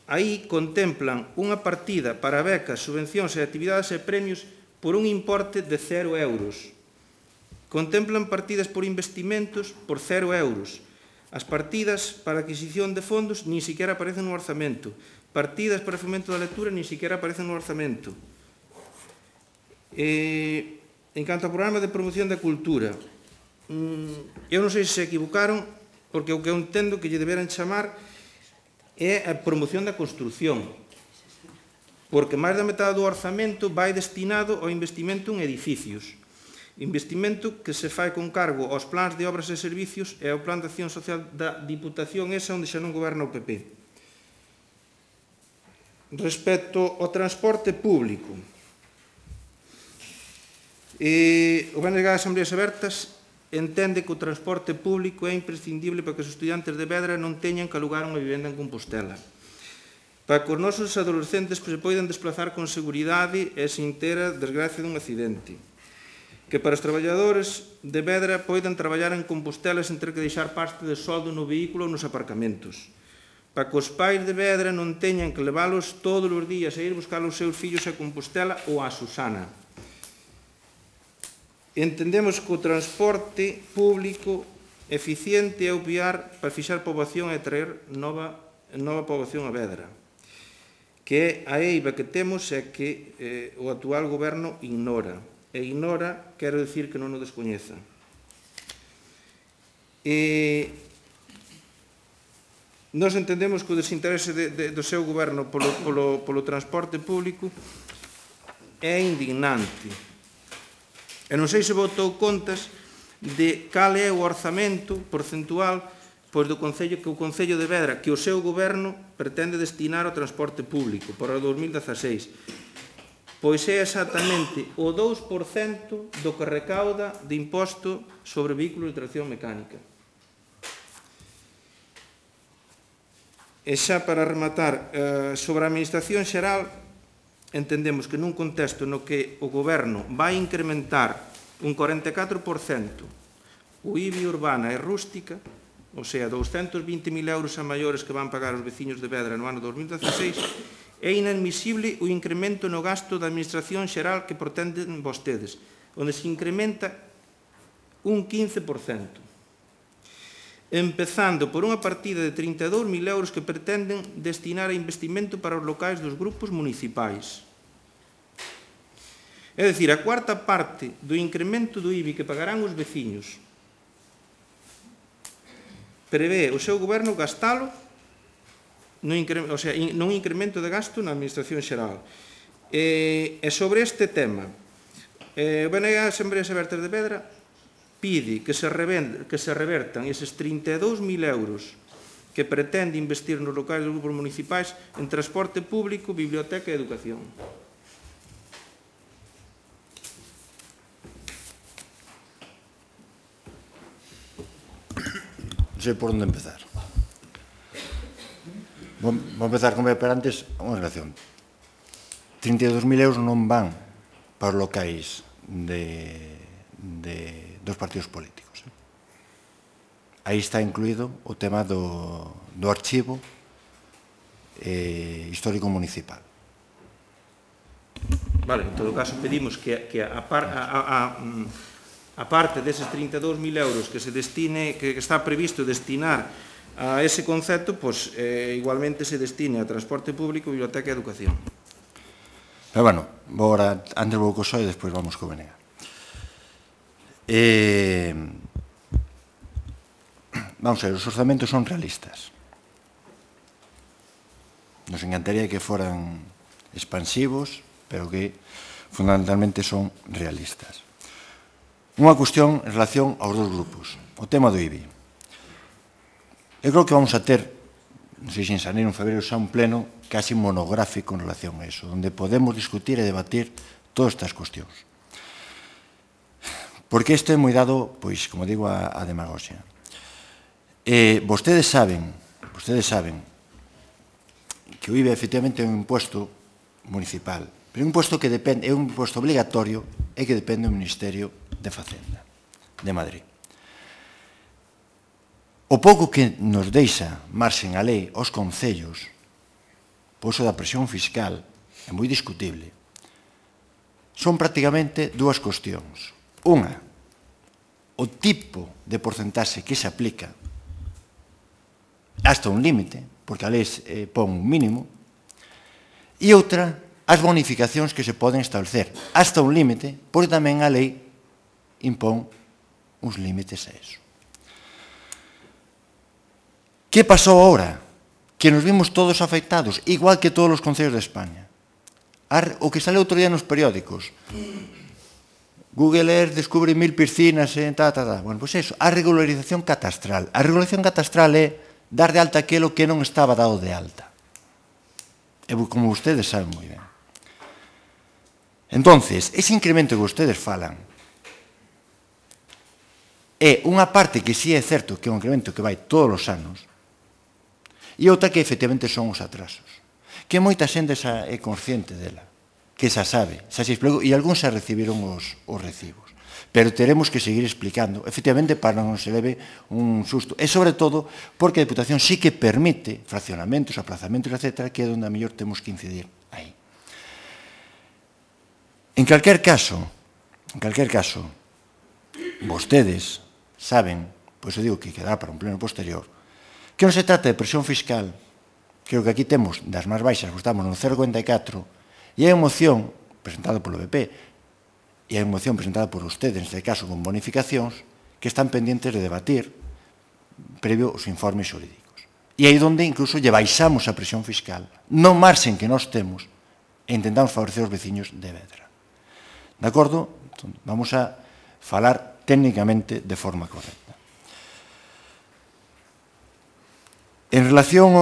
Aí contemplan unha partida para becas, subvencións e actividades e premios por un importe de 0 euros. Contemplan partidas por investimentos por 0 euros. As partidas para adquisición de fondos nin siquiera aparecen no orzamento. Partidas para o fomento da lectura nin siquiera aparecen no orzamento. En canto ao programa de promoción da cultura, eu non sei se se equivocaron, porque o que eu entendo que lle deberan chamar é a promoción da construción, porque máis da metade do orzamento vai destinado ao investimento en edificios. Investimento que se fai con cargo aos plans de obras e servicios e ao plan de acción social da Diputación esa onde xa non goberna o PP. Respecto ao transporte público, o BNG de Asambleas Abertas entende que o transporte público é imprescindible para que os estudiantes de Vedra non teñan que alugar unha vivenda en Compostela, para que os nosos adolescentes se poidan desplazar con seguridade e sin ter a desgracia dun accidente, que para os traballadores de Vedra poidan traballar en Compostela sen ter que deixar parte de soldo no vehículo ou nos aparcamentos, para que os pais de Vedra non teñan que leválos todos os días a ir buscar os seus fillos a Compostela ou a Susana. Entendemos que o transporte público eficiente é o piar para fixar poboación e traer nova poboación a Vedra, que é a eiva que temos e que o actual goberno ignora. E ignora, quero dicir que non o descoñeza. Nós entendemos que o desinterese do seu goberno polo transporte público é indignante. E non sei se botou contas de cal é o orzamento porcentual do Concello, que o Concello de Vedra, que o seu goberno pretende destinar ao transporte público para o 2016. Pois é exactamente o 2% do que recauda de imposto sobre vehículos de tracción mecánica. E xa para rematar, sobre a Administración Xeral, entendemos que nun contexto no que o Goberno vai incrementar un 44% o IBI urbana e rústica, ou sea, 220.000 euros a maiores que van pagar os veciños de Vedra no ano 2016, é inadmisible o incremento no gasto da Administración Xeral que pretenden vostedes, onde se incrementa un 15%. Empezando por unha partida de 32.000 euros que pretenden destinar a investimento para os locais dos grupos municipais. É dicir, a cuarta parte do incremento do IBI que pagarán os veciños prevé o seu goberno gastalo nun incremento de gasto na Administración Xeral. E sobre este tema, o BNG Asambleas Abertas de Vedra pide que se revertan eses 32.000 euros que pretende investir nos locais dos grupos municipais en transporte público, biblioteca e educación. Non sei por onde empezar. Vou empezar como pero antes unha relación. 32.000 euros non van para os locais dos partidos políticos. Aí está incluído o tema do archivo histórico municipal. Vale, en todo caso pedimos que a parte deses 32.000 euros que está previsto destinar a ese concepto, pois igualmente se destine a transporte público, biblioteca e educación. Pero bueno, antes vou co PSOE e despois vamos co BNG. Vamos a ver, os orzamentos son realistas. Nos encantaría que foran expansivos, pero que fundamentalmente son realistas. Unha cuestión en relación aos dos grupos, o tema do IBI. Eu creo que vamos a ter, non sei se en xaneiro ou en febrero, xa un pleno casi monográfico en relación a eso, onde podemos discutir e debatir todas estas cuestións. Porque isto é moi dado, pois, como digo, a demagoxia. Vostedes saben que o IBI efectivamente é un imposto municipal, pero é un imposto que depende, é un imposto obligatorio e que depende do Ministerio de Facenda de Madrid. O pouco que nos deixa marxen a lei aos concellos, por iso da presión fiscal, é moi discutible. Son prácticamente dúas cuestións. Unha, o tipo de porcentaxe que se aplica hasta un límite, porque a lei pon un mínimo, e outra, as bonificacións que se poden establecer hasta un límite, porque tamén a lei impón uns límites a eso. Que pasou agora? Que nos vimos todos afectados, igual que todos os concellos de España. O que sale outro día nos periódicos. Google Earth descubre 1000 piscinas en Bueno, pois eso, a regularización catastral. A regularización catastral é dar de alta aquilo que non estaba dado de alta. E como vostedes saben moi ben. Entonces, ese incremento que vostedes falan é unha parte que sí é certo que é un incremento que vai todos os anos e outra que efectivamente son os atrasos. Que moita xente é consciente dela, que xa sabe, xa se explicou, e algúns xa recibiron os recibos. pero teremos que seguir explicando, efectivamente, para non se leve un susto. E, sobre todo, porque a Deputación sí que permite fraccionamentos, aplazamentos, etc., que é onde a mellor temos que incidir aí. En calquer caso, vostedes saben, pois eu digo que quedará para un pleno posterior, que non se trata de presión fiscal, creo que aquí temos das máis baixas, estamos no 0,54, e hai unha moción presentada polo PP, e hai unha moción presentada por ustedes, neste caso con bonificacións, que están pendientes de debatir previo os informes xurídicos. E aí onde incluso lle baixamos a presión fiscal, no marxen que nós temos, e intentamos favorecer os veciños de Vedra. De acordo? Entón, vamos a falar técnicamente de forma correcta. En relación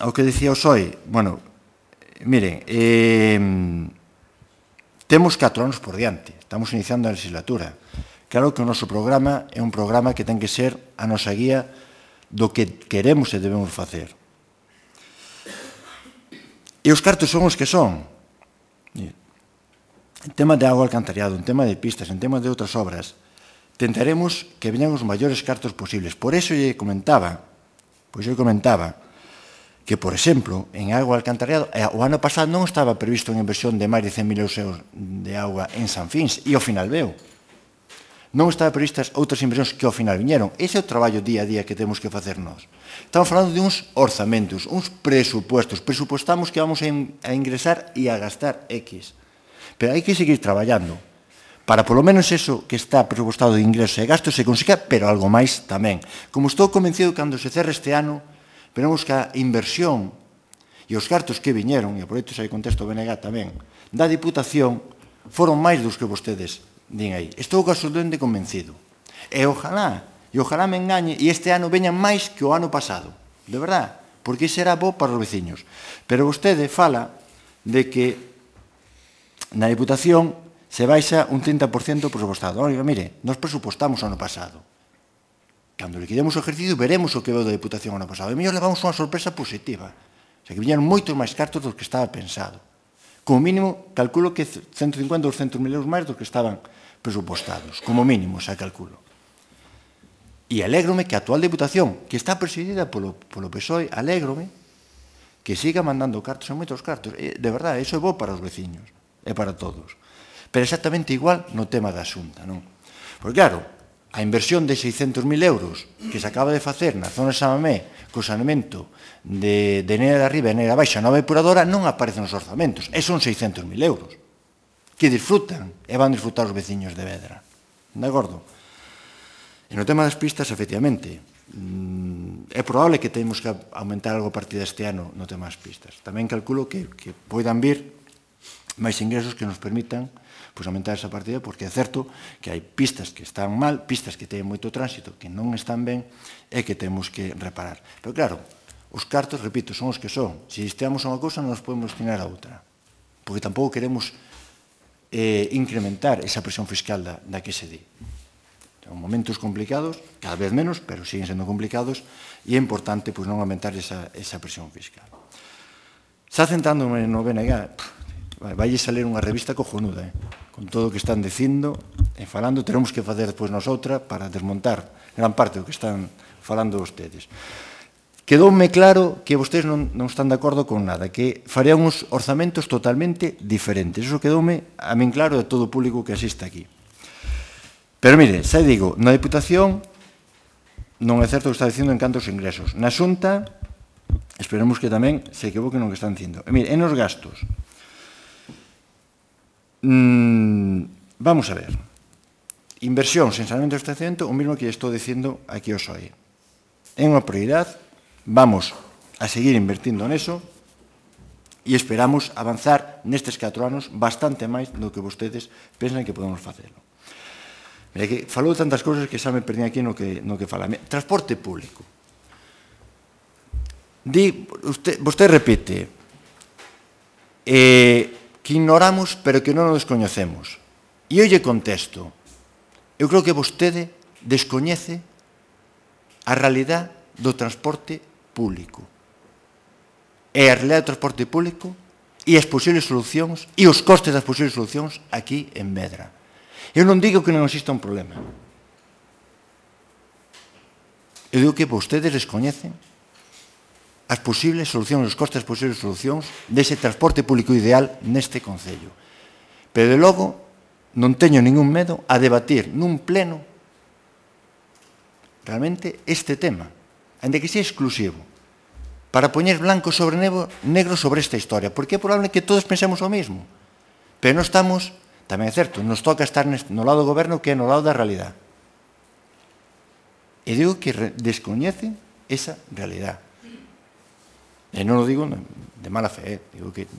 ao que dicía o PSOE, bueno, miren, temos 4 anos por diante, estamos iniciando a legislatura. Claro que o noso programa é un programa que ten que ser a nosa guía do que queremos e debemos facer. E os cartos son os que son. En tema de agua alcantarillado, en tema de pistas, en tema de outras obras, tentaremos que veñan os maiores cartos posibles. Por eso eu comentaba que, por exemplo, en agua alcantarillado, o ano pasado non estaba previsto unha inversión de máis de 100.000 euros de agua en San Fins, e ao final veo. Non estaban previstas outras inversións que ao final viñeron. Ese é o traballo día a día que temos que facer nós. Estamos falando de uns orzamentos, uns presupuestos. Presupuestamos que vamos a ingresar e a gastar X. Pero hai que seguir traballando para, polo menos, eso que está presupuestado de ingresos e gastos se consiga, pero algo máis tamén. Como estou convencido, cando se cerre este ano, veremos que a inversión e os cartos que viñeron, e aproveito ese contexto BNG tamén, da Diputación, foron máis dos que vostedes din aí. Estou absolutamente convencido. E ojalá me engañe, e este ano veñan máis que o ano pasado. De verdad, porque será bo para os veciños. Pero vostede fala de que na Diputación se baixa un 30% presupuestado. Oiga, mire, nos presupuestamos o ano pasado. Cando liquidemos o ejercicio, veremos o que veu da Diputación ano pasado. E mellor levamos unha sorpresa positiva. O sea, que viñeron moitos máis cartos dos que estaba pensado. Como mínimo, calculo que 150 ou 200.000 euros máis dos que estaban presupostados. Como mínimo, xa calculo. E alégrome que a actual Diputación, que está presidida polo PSOE, alégrome que siga mandando cartos en moitos cartos. De verdade, iso é bo para os veciños. É para todos. Pero exactamente igual no tema da Xunta, non? Porque, claro, a inversión de 600.000 euros que se acaba de facer na zona de Samamé co saneamento de Neira de Arriba e Neira Baixa, nova depuradora, non aparece nos orzamentos. E son 600.000 euros que disfrutan e van disfrutar os veciños de Vedra. De acordo? E no tema das pistas, efectivamente, é probable que temos que aumentar algo a partir deste ano no tema das pistas. Tamén calculo que poidan vir máis ingresos que nos permitan aumentar esa partida, porque é certo que hai pistas que están mal, pistas que teñen moito tránsito, que non están ben e que temos que reparar. Pero claro, os cartos, repito, son os que son. Se destiamos a unha cousa, non nos podemos destinar a outra. Porque tampouco queremos incrementar esa presión fiscal da que se di. Son momentos complicados, cada vez menos, pero siguen sendo complicados, e é importante non aumentar esa presión fiscal. Xa centrándome no BNG, vai salir unha revista cojonuda, con todo o que están dicindo e falando. Teremos que facer despois nosoutra para desmontar gran parte do que están falando vostedes. Quedoume claro que vostedes non están de acordo con nada, que farían uns orzamentos totalmente diferentes. Iso quedoume a min claro de todo o público que asiste aquí. Pero mire, xa digo, na Diputación non é certo o que está dicindo en canto aos ingresos. Na Xunta, esperemos que tamén se equivoquen no que están dicindo. E mire, en os gastos, vamos a ver, inversión sen saneamento e abastecemento, o mesmo que estou dicindo aquí ao PSOE. É unha prioridade, vamos a seguir invertindo neso e esperamos avanzar nestes 4 anos bastante máis do que vostedes pensan que podemos facelo. Mira, que falou tantas cousas que xa me perdín aquí no que fala. Transporte público. Vostede repite que ignoramos, pero que non nos descoñecemos. E eu lle contesto. Eu creo que vostede descoñece a realidade do transporte público. E a realidade do transporte público e as posibles solucións e os costes das posibles solucións aquí en Vedra. Eu non digo que non exista un problema. Eu digo que vostedes descoñecen as posibles solucións, os costes das posibles solucións dese transporte público ideal neste Concello. Pero, de logo, non teño ningún medo a debatir nun pleno realmente este tema, ainda que sea exclusivo, para poñer blanco sobre negro sobre esta historia, porque é probable que todos pensemos o mismo, pero non estamos, tamén é certo, nos toca estar no lado do goberno que é no lado da realidade. E digo que descoñecen esa realidade. E non o digo de mala fe, digo que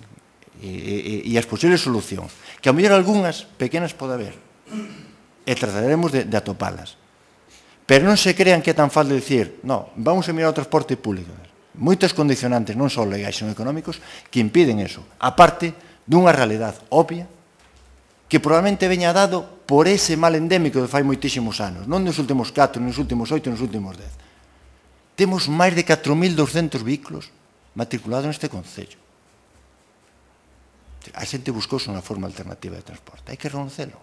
e as posibles solucións, que a mellor algunhas pequenas pode haber, e trataremos de atopalas. Pero non se crean que é tan fácil dicir, no, vamos a mirar o transporte público. Moitos condicionantes, non só legais, sino económicos, que impiden eso. A parte dunha realidade obvia que probablemente veña dado por ese mal endémico de fai moitísimos anos, non nos últimos 4, nos últimos 8, nos últimos 10. Temos máis de 4.200 vehículos matriculados neste Concello. A xente buscouse unha forma alternativa de transporte. Hai que reconocelo.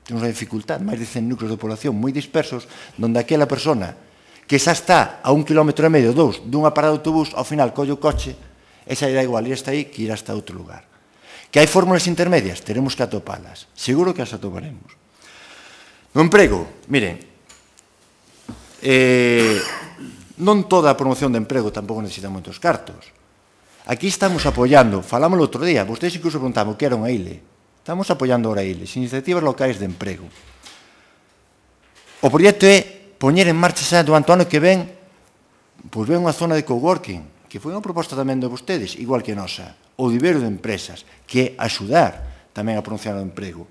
Temos unha dificultad, máis de 100 núcleos de población moi dispersos, onde aquela persona que xa está a 1,5 km, 2, dunha parada de autobús, ao final colle o coche, esa irá igual, e está aí, que irá hasta outro lugar. Que hai fórmulas intermedias, teremos que atopalas. Seguro que as atoparemos. No emprego, miren, non toda a promoción de emprego tampouco necesita moitos cartos. Aquí estamos apoiando, falámoslo outro día, vostedes incluso preguntaban o que era unha ILE. Estamos apoiando ahora ILES, iniciativas locais de emprego. O proxecto é poñer en marcha xa durante o ano que ven, pois ven unha zona de coworking, que foi unha proposta tamén de vostedes, igual que a nosa, o vivero de empresas, que é axudar tamén a promocionar o emprego.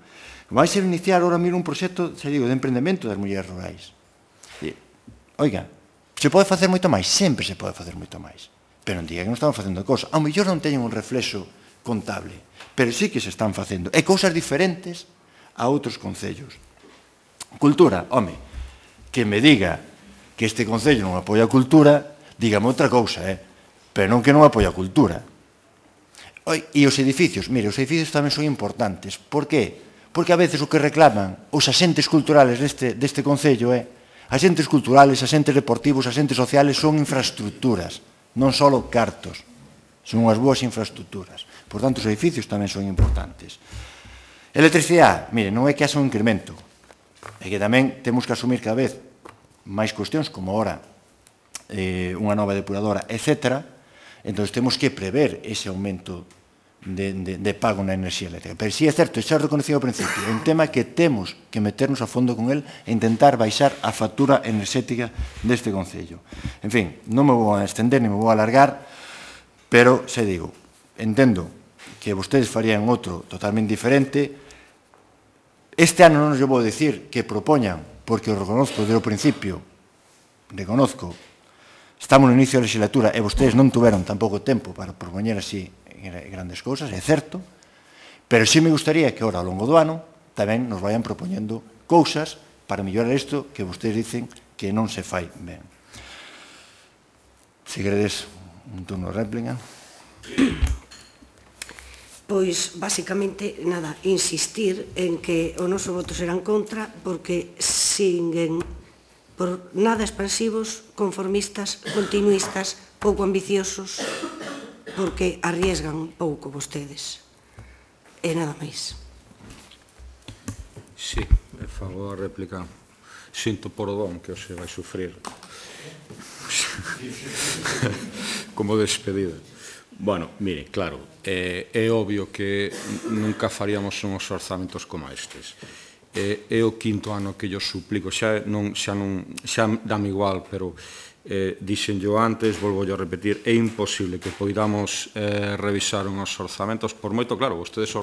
Vai ser iniciar ahora mesmo un proxecto, xa digo, de emprendemento das mulleres rurais. Oiga, se pode facer moito máis? Sempre se pode facer moito máis. Pero non diga que non estamos facendo cosas. Ao mellor non teñen un reflexo contable, pero sí que se están facendo. E cousas diferentes a outros concellos. Cultura, home, que me diga que este concello non apoia a cultura, dígame outra cousa, pero non que non apoia a cultura. E os edificios, mire, os edificios tamén son importantes. Por qué? Porque a veces o que reclaman os asentes culturales deste concello é asentes culturales, asentes deportivos, asentes sociales son infraestructuras, non só cartos, son unhas boas infraestructuras. Por tanto, os edificios tamén son importantes. Electricidade, mire, non é que haxa un incremento, é que tamén temos que asumir cada vez máis cuestións, como ahora unha nova depuradora, etc. Entón, temos que prever ese aumento de pago na enerxía eléctrica. Pero sí é certo, xa reconocido ao principio, é un tema que temos que meternos a fondo con el e intentar baixar a factura enerxética deste concello. En fin, non me vou a extender, nem me vou a alargar, pero, xa digo, entendo que vostedes farían outro totalmente diferente. Este ano non os vou dicir que propoñan, porque o reconozco desde o principio, reconozco, estamos no inicio da legislatura e vostedes non tuveron tampouco tempo para propoñer así grandes cousas, é certo, pero sí me gustaría que ahora, ao longo do ano, tamén nos vayan propoñendo cousas para mellorar isto que vostedes dicen que non se fai ben. Se queredes un turno de réplica. Pois, basicamente, nada, insistir en que o noso voto será en contra porque siguen por nada expansivos, conformistas, continuistas, pouco ambiciosos, porque arriesgan pouco vostedes. E nada máis. Sí, me fago a réplica. Sinto por o don que hoxe vai sufrir. Como despedida. Bueno, mire, claro, é obvio que nunca faríamos uns orzamentos como estes. É o quinto ano que yo suplico, xa dame igual, pero dixenllo antes, volvo a repetir, é imposible que poidamos revisar uns orzamentos, por moito, claro, vostedes o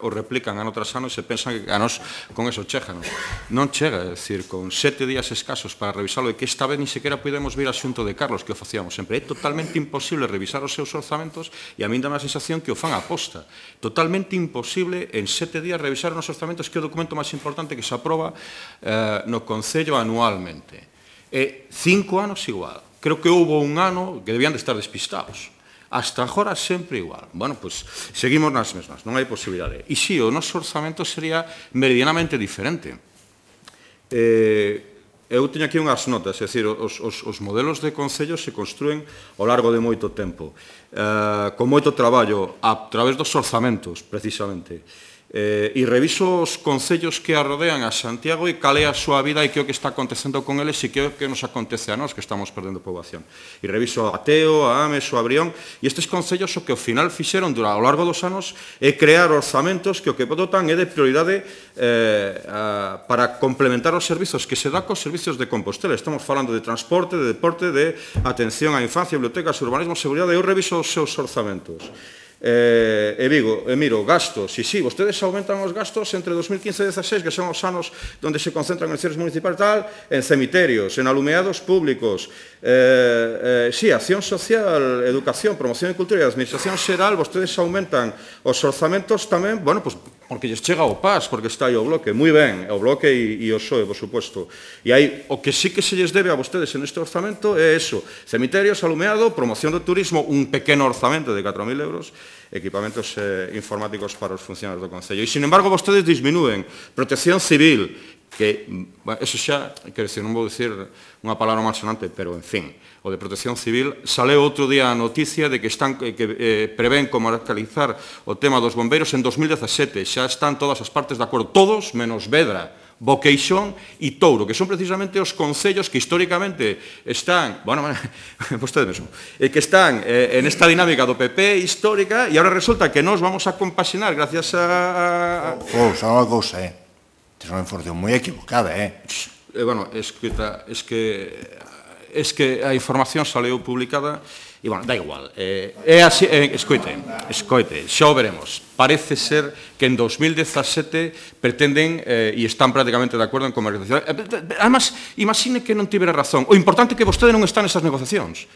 replican ano tras ano e se pensan que a nos con eso cheganos. Non chega, é dicir, con 7 días escasos para revisarlo, e que esta vez ni sequera podemos vir a xunto de Carlos, que o facíamos sempre. É totalmente imposible revisar os seus orzamentos e a min dá a sensación que o fan a posta. Totalmente imposible en 7 días revisar os orzamentos, que é o documento máis importante que se aproba no Concello anualmente. E 5 anos igual. Creo que houve un ano que debían de estar despistados. hasta agora sempre igual. Bueno, pois seguimos nas mesmas, non hai posibilidade. E si, o noso orzamento sería meridianamente diferente. Eu teño aquí unhas notas, é dicir, os modelos de concello se construen ao largo de moito tempo, con moito traballo, a través dos orzamentos, precisamente. E reviso os concellos que arrodean a Santiago e cal é a súa vida e que é o que está acontecendo con eles e que é o que nos acontece a nós, que estamos perdendo poboación. E reviso a Teo, a Ames, o Abrión, e estes concellos o que ao final fixeron ao largo dos anos é crear orzamentos que o que botan é de prioridade para complementar os servizos que se dá cos servizos de Compostela. Estamos falando de transporte, de deporte, de atención á infancia, bibliotecas, urbanismo, seguridade. Eu reviso os seus orzamentos. E miro, gastos, e si, vostedes aumentan os gastos entre 2015 e 2016, que son os anos onde se concentran en cierres municipais tal, en cemiterios, en alumeados públicos, si, acción social, educación, promoción de cultura e administración xeral, vostedes aumentan os orzamentos tamén, bueno, pois, porque lles chega o PAS, porque está aí o bloque, moi ben, o bloque e o PSOE, por suposto. E aí, o que sí que se lles debe a vostedes en este orzamento é eso, cemiterios, alumeado, promoción do turismo, un pequeno orzamento de 4.000 euros, equipamentos informáticos para os funcionarios do Concello. E, sin embargo, vostedes disminúen protección civil, que, eso xa, quero dicir, non vou dicir unha palabra malsonante, pero, en fin, o de protección civil, saleu outro día a noticia de que prevén comarcalizar o tema dos bombeiros en 2017. Xa están todas as partes de acordo, todos menos Vedra, Boqueixón e Touro, que son precisamente os concellos que históricamente están, bueno, vostede mesmo, que están en esta dinámica do PP histórica e agora resulta que nos vamos a compaxinar gracias a... Xa unha cousa, tes unha información moi equivocada, Bueno, es que a información saleu publicada e, bueno, da igual. É así, escoite, xa o veremos. Parece ser que en 2017 pretenden e están prácticamente de acordo en comercialización. Además, imagine que non tivera razón. O importante é que vostede non está nesas negociacións.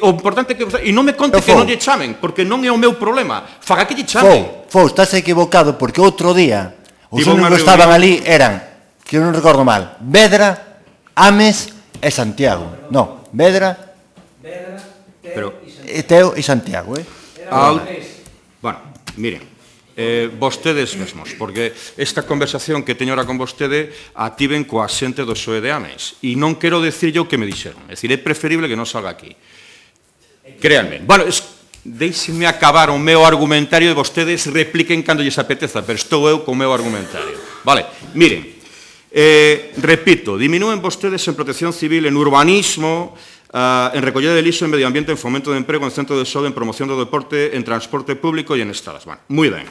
O importante é que vostede... E non me conte que non lle chamen, porque non é o meu problema. Faga que lle chamen. Estás equivocado, porque outro día os únicos que estaban ali eran, que eu non recordo mal, Vedra, Ames e Santiago. Non, Vedra, Teo e Santiago, Bueno, miren, vostedes mesmos, porque esta conversación que teño ahora con vostede a tiven coa xente do PSOE de Ames, e non quero decir yo o que me dixeron, é dicir, é preferible que non salga aquí. Créanme. Bueno, deixenme acabar o meu argumentario e vostedes repliquen cando lles apeteza, pero estou eu co meu argumentario. Vale, miren, repito, diminúen vostedes en protección civil, en urbanismo, en recollida de lixo, en medio ambiente, en fomento de emprego, en centro de saúde, en promoción do deporte, en transporte público e en estradas. Bueno, moi ben.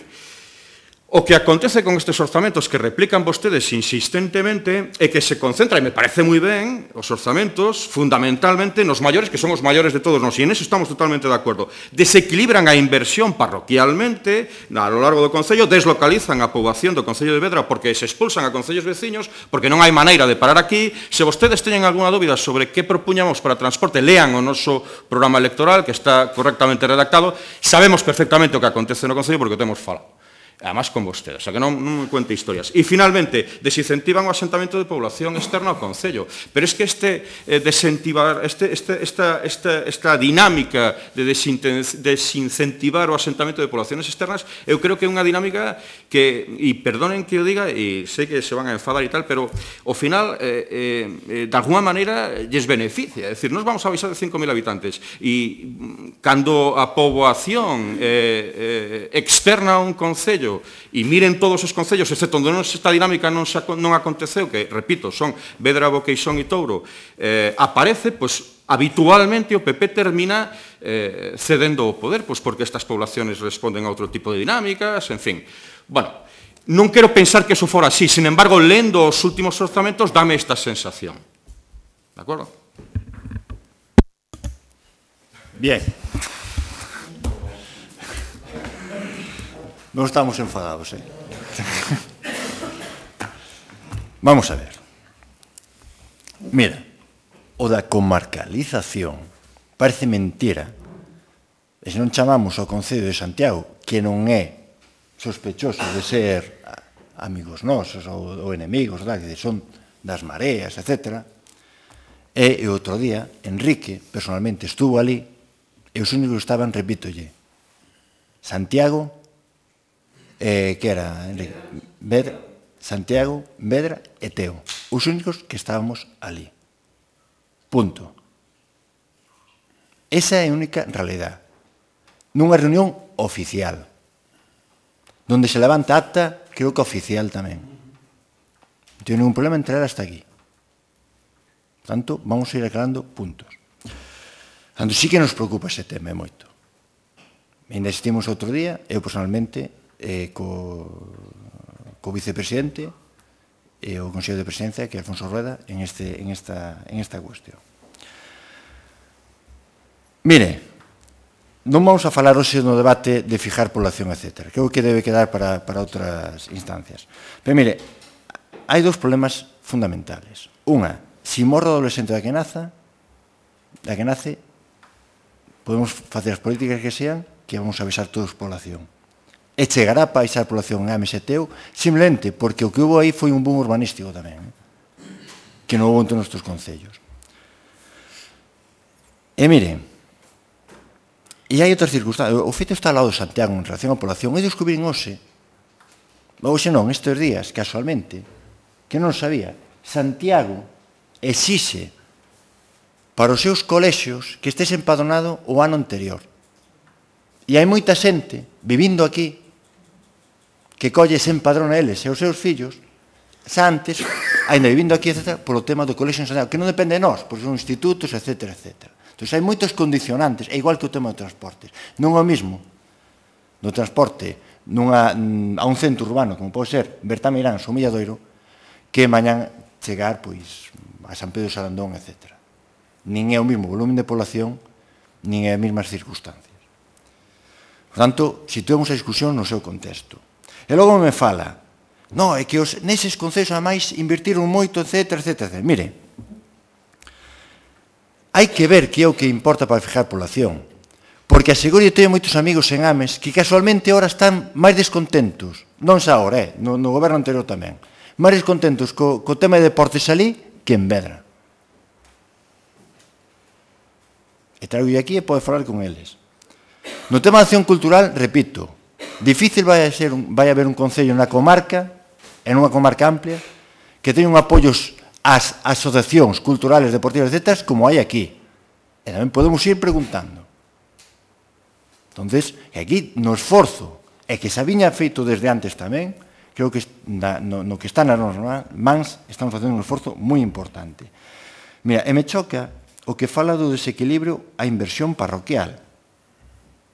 O que acontece con estes orzamentos que replican vostedes insistentemente é que se concentra, e me parece moi ben, os orzamentos fundamentalmente nos maiores, que son os maiores de todos nós, e en eso estamos totalmente de acordo. Desequilibran a inversión parroquialmente a lo largo do Concello, deslocalizan a poboación do Concello de Vedra porque se expulsan a concellos veciños, porque non hai maneira de parar aquí. Se vostedes teñen algunha dúbida sobre que propuñamos para transporte, lean o noso programa electoral, que está correctamente redactado. Sabemos perfectamente o que acontece no Concello porque o temos falado. Además con vostedes, o sea que non me cuente historias. E finalmente, desincentivan o asentamento de población externa ao Concello. Pero es que esta dinámica de desincentivar o asentamento de poblaciones externas, eu creo que é unha dinámica que, e perdonen que o diga, e sei que se van a enfadar e tal, pero ao final, de alguma maneira, lles beneficia. É dicir, nos vamos a avisar de 5.000 habitantes e cando a poboación externa a un Concello e miren todos os concellos, excepto onde esta dinámica non aconteceu, que, repito, son Vedra, Boqueixón e Touro, aparece, pois, habitualmente o PP termina cedendo o poder, pois porque estas poblaciones responden a outro tipo de dinámicas, en fin. Bueno, non quero pensar que eso fora así, sin embargo, lendo os últimos orzamentos, dame esta sensación. De acordo? Bien. Non estamos enfadados, Vamos a ver. Mira, o da comarcalización parece mentira. E se non chamamos ao Concello de Santiago, que non é sospechoso de ser amigos nosos ou enemigos, que son das mareas, etc. E outro día, Enrique, personalmente, estuvo ali e os únicos que estaban, repítolle, Santiago, que era Santiago, Vedra e Teo. Os únicos que estábamos ali. Punto. Esa é a única realidade. Nunha reunión oficial, donde se levanta acta, creo que oficial tamén. Non teño ningún problema en traer hasta aquí. Por tanto, vamos a ir aclarando puntos. Por tanto, sí que nos preocupa ese tema moito. Ainda existimos outro día, eu personalmente, co vicepresidente e o Consello de Presidencia, que é Alfonso Rueda, en esta cuestión. Mire, non vamos a falar hoxe no debate de fijar población, etc. Creo que debe quedar para outras instancias. Pero mire, hai dous problemas fundamentales. Unha, se morre o adolescente da que nace, podemos facer as políticas que sean, que vamos a avisar todos a población. E chegará para avisar a población en Ames e Teo, simplemente porque o que houve aí foi un boom urbanístico tamén, que non houve entre os nosos concellos. E miren, e hai outras circunstancias. O feito está ao lado de Santiago en relación á población. Eu descubrín hoxe non, estes días, casualmente, que non sabía, Santiago exixe para os seus colexios que estés empadronado o ano anterior. E hai moita xente vivindo aquí que colle se empadrona eles e os seus fillos xa antes, ainda vivindo aquí, etc., polo tema do colexio en Santiago, que non depende de nós, porque son institutos, etc., etc. Entón, hai moitos condicionantes, é igual que o tema dos transportes. Non é o mesmo do transporte a un centro urbano, como pode ser Bertameirán, ou Milladoiro, que mañan chegar a San Pedro de Sarandón, etc. Nin é o mesmo volumen de población, nin é as mesmas circunstancias. Por tanto, situemos a discusión no seu contexto. E logo me fala, é que neses concellos, ademais, invertiron moito, etc., etc. Mire, hai que ver que é o que importa para fijar población. Porque aseguro que teño moitos amigos en Ames que casualmente ahora están máis descontentos, non xa ahora, no goberno anterior tamén, máis descontentos co tema de deportes alí que en Vedra. E traigo aquí e pode falar con eles. No tema de acción cultural, repito, difícil vai haber un concello na comarca, en unha comarca amplia, que teña un apoios ás asociacións culturales, deportivas, etc., como hai aquí. E tamén podemos ir preguntando. Entonces, aquí no esforzo, e que se viña feito desde antes tamén, creo que no que está nas nosas mans estamos facendo un esforzo moi importante. Mira, e me choca o que fala do desequilibrio a inversión parroquial.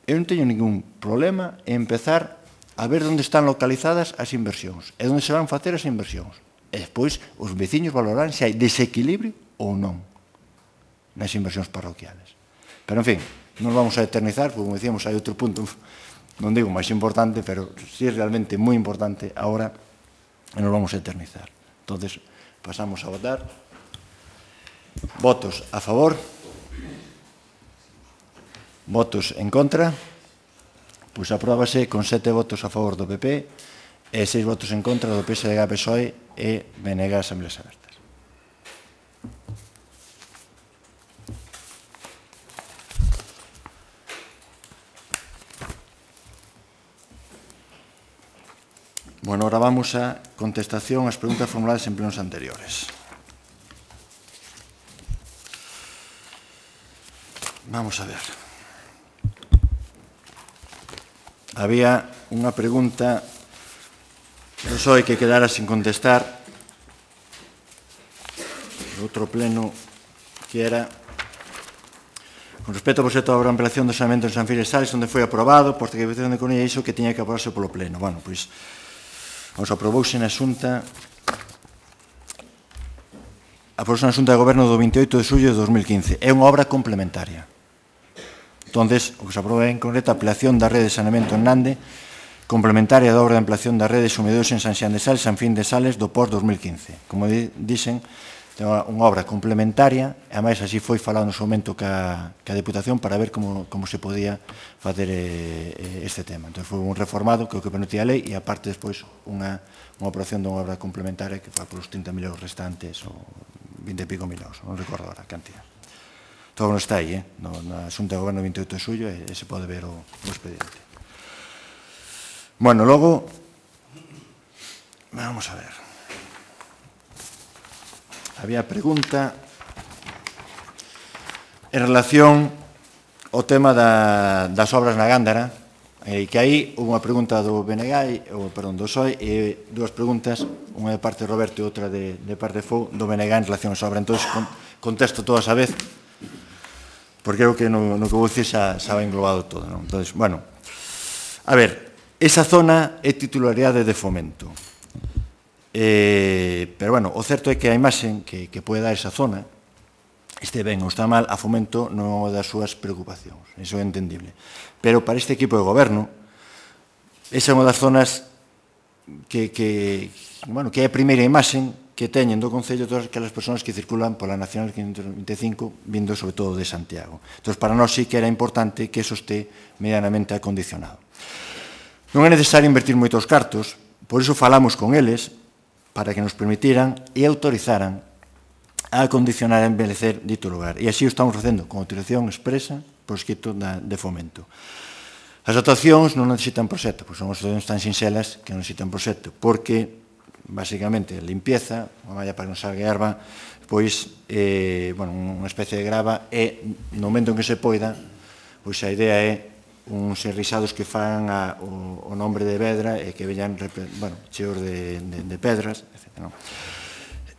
Eu non teño ningún problema en empezar a ver onde están localizadas as inversións e onde se van facer as inversións. E despois os veciños valorarán se hai desequilibrio ou non nas inversións parroquiales. Pero, en fin, non vamos a eternizar, porque, como decíamos, hai outro punto, non digo máis importante, pero sí é realmente moi importante ahora e nos vamos a eternizar. Entonces, pasamos a votar. Votos a favor. Votos en contra. Pois apróbase con 7 votos a favor do PP e 6 votos en contra do PSDG, PSOE e BNG Asambleas Abertas. Bueno, ahora vamos a contestación ás preguntas formuladas en plenos anteriores. Vamos a ver. Había unha pregunta do PSOE que quedara sin contestar do outro pleno, que era con respecto ao proxecto de obra de ampliación do saneamento en San Filipe Sales, onde foi aprobado por Secretaría de Economía, iso que tiña que aprobarse polo pleno. Bueno, pois, aprobouse na Xunta de Goberno do 28 de xullo de 2015. É unha obra complementaria. Entonces, o que se aproba en concreto a ampliación da rede de saneamento en Nande, complementaria da obra de ampliación da rede de sumideros en San Xián de Sales, San Fin de Sales, do POS 2015. Como dixen, é unha obra complementaria, e ademais así foi falado no seu momento ca Deputación para ver como se podía facer este tema. Entón, foi un reformado que o que permitía a lei e aparte despois unha operación dunha obra complementaria que foi polos 30.000 euros restantes ou 20 e pico mil euros, non recordo agora a cantidad. todo non está aí, na Xunta de Goberno 28 de xullo, e se pode ver o expediente. Bueno, logo, vamos a ver. Había pregunta en relación ao tema das obras na Gándara, que aí houve unha pregunta do BNG, perdón, do PSOE, e dúas preguntas, unha de parte de Roberto e outra de parte de FOU, do BNG en relación a esa obra. Entón, contesto todas a vez, porque creo que no que vou dicir xa va englobado todo. Entón, bueno, a ver, esa zona é titularidade de Fomento. Pero, bueno, o certo é que a imaxe que pode dar esa zona, este ben ou está mal, a Fomento non é unha das súas preocupacións. Iso é entendible. Pero para este equipo de goberno, esa é unha das zonas que é a primeira imaxe que teñen do Concello todas aquelas persoas que circulan pola Nacional 525, vindo sobre todo de Santiago. Entón, para nós sí que era importante que eso este medianamente acondicionado. Non é necesario invertir moitos cartos, por iso falamos con eles, para que nos permitiran e autorizaran a acondicionar e embelecer dito lugar. E así o estamos facendo, con autorización expresa por escrito de Fomento. As actuacións non necesitan proxecto, pois son actuacións tan sinxelas que non necesitan proxecto, porque, basicamente, limpieza, unha malla para que non salga erva, pois, unha especie de grava, e, no momento en que se poida, pois a idea é uns enrisados que fan o nombre de Vedra e que veñan, cheos de pedras, etc.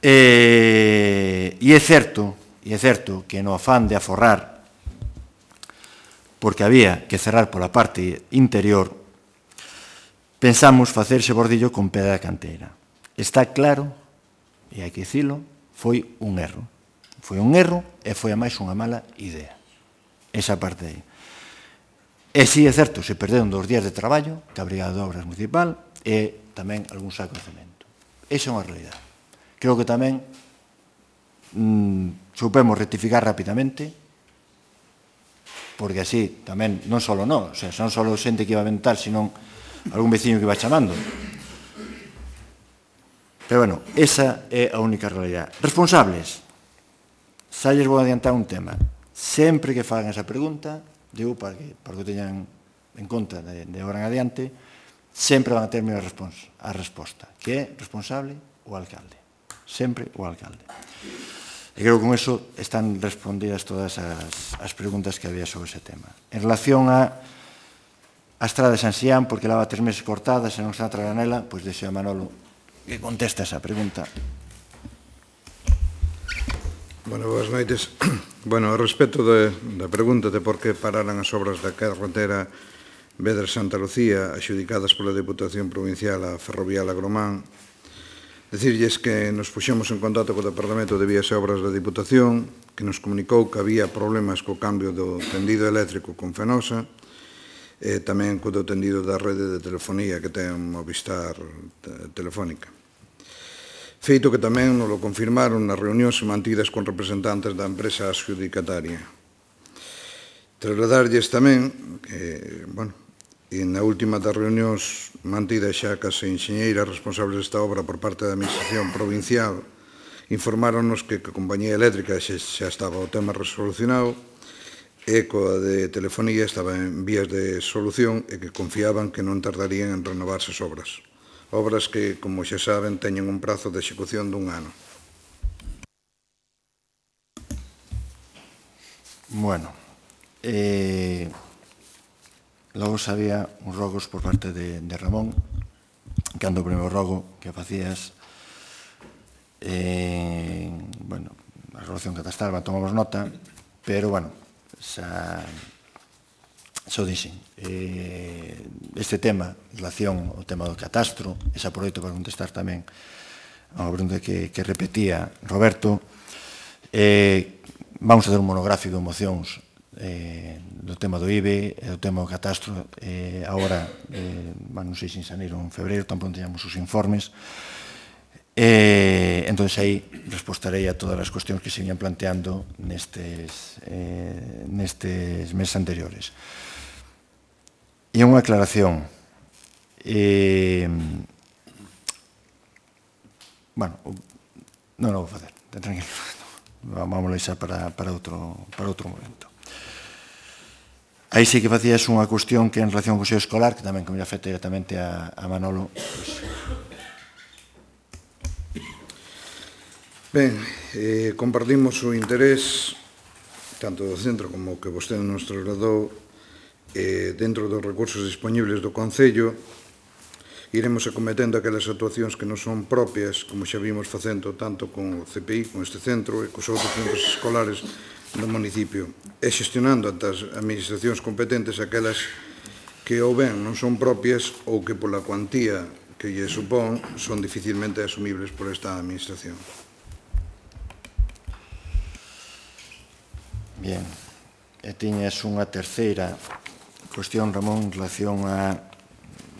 E é certo que no afán de aforrar, porque había que cerrar pola parte interior, pensamos facer ese bordillo con pedra canteira. Está claro, e hai que dicilo, foi un erro. Foi un erro e foi a máis unha mala idea. Esa parte aí. E si é certo, se perderon 2 días de traballo, que a Brigada de Obras Municipal, e tamén algún saco de cemento. Esa é unha realidade. Creo que tamén supemos rectificar rapidamente, porque así tamén non só non, non só xente que iba a aventar, sino algún veciño que iba chamando. Pero, bueno, esa é a única realidade. Responsables, xa lles vou adiantar un tema. Sempre que fagan esa pregunta, digo, para que o teñan en conta de agora en adiante, sempre van a ter a resposta, que é responsable o alcalde. Sempre o alcalde. E creo que con eso están respondidas todas as preguntas que había sobre ese tema. En relación a estrada de San Xián, porque leva 3 meses cortada, se non está a tragar nela, pois deixo a Manolo que contesta esa pregunta. Bueno, boas noites. Bueno, a respecto da pregunta de por que pararan as obras da carretera Vedra-Santa Lucía axudicadas pola Deputación Provincial a Ferrovial Agromán, decirlles que nos puxemos en contacto co Departamento de Vías e Obras da Diputación, que nos comunicou que había problemas co cambio do tendido eléctrico con Fenosa, e tamén co do tendido da rede de telefonía que ten Movistar Telefónica. Feito que tamén nos lo confirmaron nas reunións mantidas con representantes da empresa adxudicataria. Trasladarlles tamén que, na última das reunións mantidas xa cas enxeñeiras responsables desta obra por parte da Administración Provincial, informáronos que a compañía eléctrica xa estaba o tema resolucionado e coa de telefonía estaba en vías de solución e que confiaban que non tardarían en renovarse as obras. Obras que, como xa saben, teñen un prazo de execución dun ano. Bueno, logo sabía uns rogos por parte de Ramón, cando o primeiro rogo que facías, a relación catastral, tomamos nota, pero, xa o dixen. Este tema, en relación ao tema do catastro, ese aproveito para contestar tamén a unha pregunta que repetía Roberto, vamos a ter un monográfico de mocións do tema do IBE e do tema do catastro. Agora, non sei se en xaneiro ou en febreiro, tampouco teñamos os informes. Entón, aí respostarei a todas as cuestións que se viñan planteando nestes meses anteriores. E unha aclaración. Non o vou facer, tranquilo. vamos a deixar para outro momento. Aí sí que facías unha cuestión que en relación ao Consello Escolar, que tamén que me afecta directamente a Manolo. Ben, compartimos o interés tanto do centro como o que vostede nos trasladou dentro dos recursos disponibles do Concello. Iremos acometendo aquelas actuacións que non son propias, como xa vimos facendo tanto con o CPI, con este centro e cos outros centros escolares do municipio, e xestionando ante as administracións competentes aquelas que ou ben non son propias ou que pola cuantía que lle supón son dificilmente asumibles por esta administración. Bien, e tiñas unha terceira cuestión, Ramón, en relación a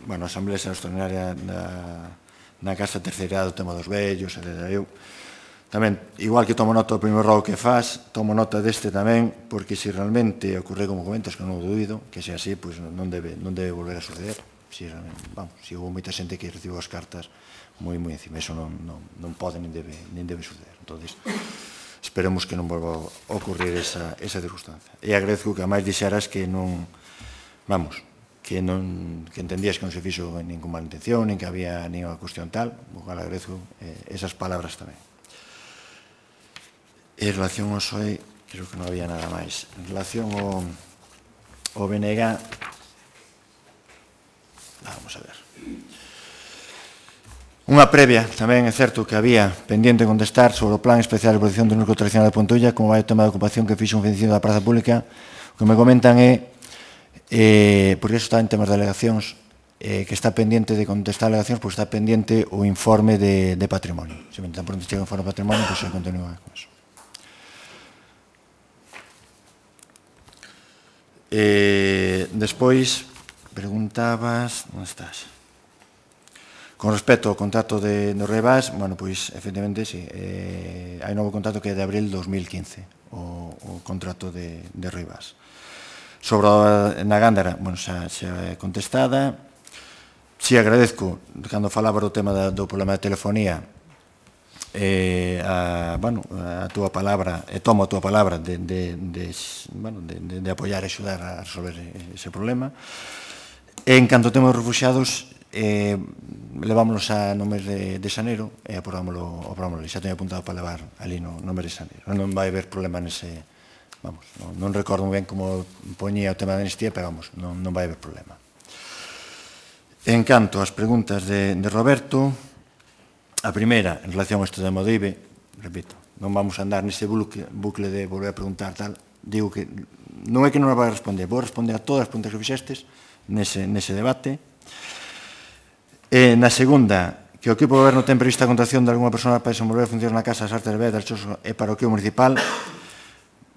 a Asamblea Extraordinaria na Casa Terceira do tema dos vellos, etc. Eu tamén, igual que tomo nota do primeiro rogo que faz, tomo nota deste tamén, porque se realmente ocorre como comentas, que non o dubido, que sea así, pois non debe volver a suceder. Se houve moita xente que recibiu as cartas moi encima, eso non pode nin debe suceder. Entón, esperemos que non volva a ocurrir esa circunstancia. E agradezco que a máis dixeras que non, que entendías que non se fixo ningún mala intención, nin que había ninguna cuestión tal, o cual agradezco esas palabras tamén. En relación ao SOE, creo que non había nada máis. En relación ao BNG, vamos a ver. Unha previa, tamén é certo que había pendiente contestar sobre o Plan Especial de Protección do Núcleo Tradicional de Pontulla, como vai o tema de ocupación que fixo un veciño da Praza Pública. O que me comentan é, porque iso está en temas de alegacións, que está pendiente de contestar alegacións, porque está pendiente o informe de patrimonio. Se me tan pronto chega o informe de patrimonio, pois se continúa con eso. Despois, preguntabas, onde estás? Con respecto ao contrato de Rivas, pois, efectivamente, sí, hai novo contrato que é de abril de 2015, o contrato de Rivas. Sobre na Gándara, xa é contestada. Si agradezco, cando falaba do tema do problema de telefonía, a túa palabra, e tomo a túa palabra de apoiar e axudar a resolver ese problema. En canto ao tema dos refugiados, levámonos no mes de xaneiro e aprobámoslo ali. Xa teño apuntado para levar ali no mes de xaneiro. Non vai haber problema nese, non recordo ben como poñía o tema da amnistía, pero non vai haber problema. En canto ás preguntas de Roberto, a primeira, en relación ao estudo de Modive, repito, non vamos a andar nese bucle de volver a preguntar tal, digo que non é que non a vai a responder, vou responder a todas as preguntas que fixestes nese debate. Na segunda, que o equipo de goberno ten prevista a contratación de alguna persona para desenvolver funcións na Casa das Artes de Vedra e Parroquio Municipal.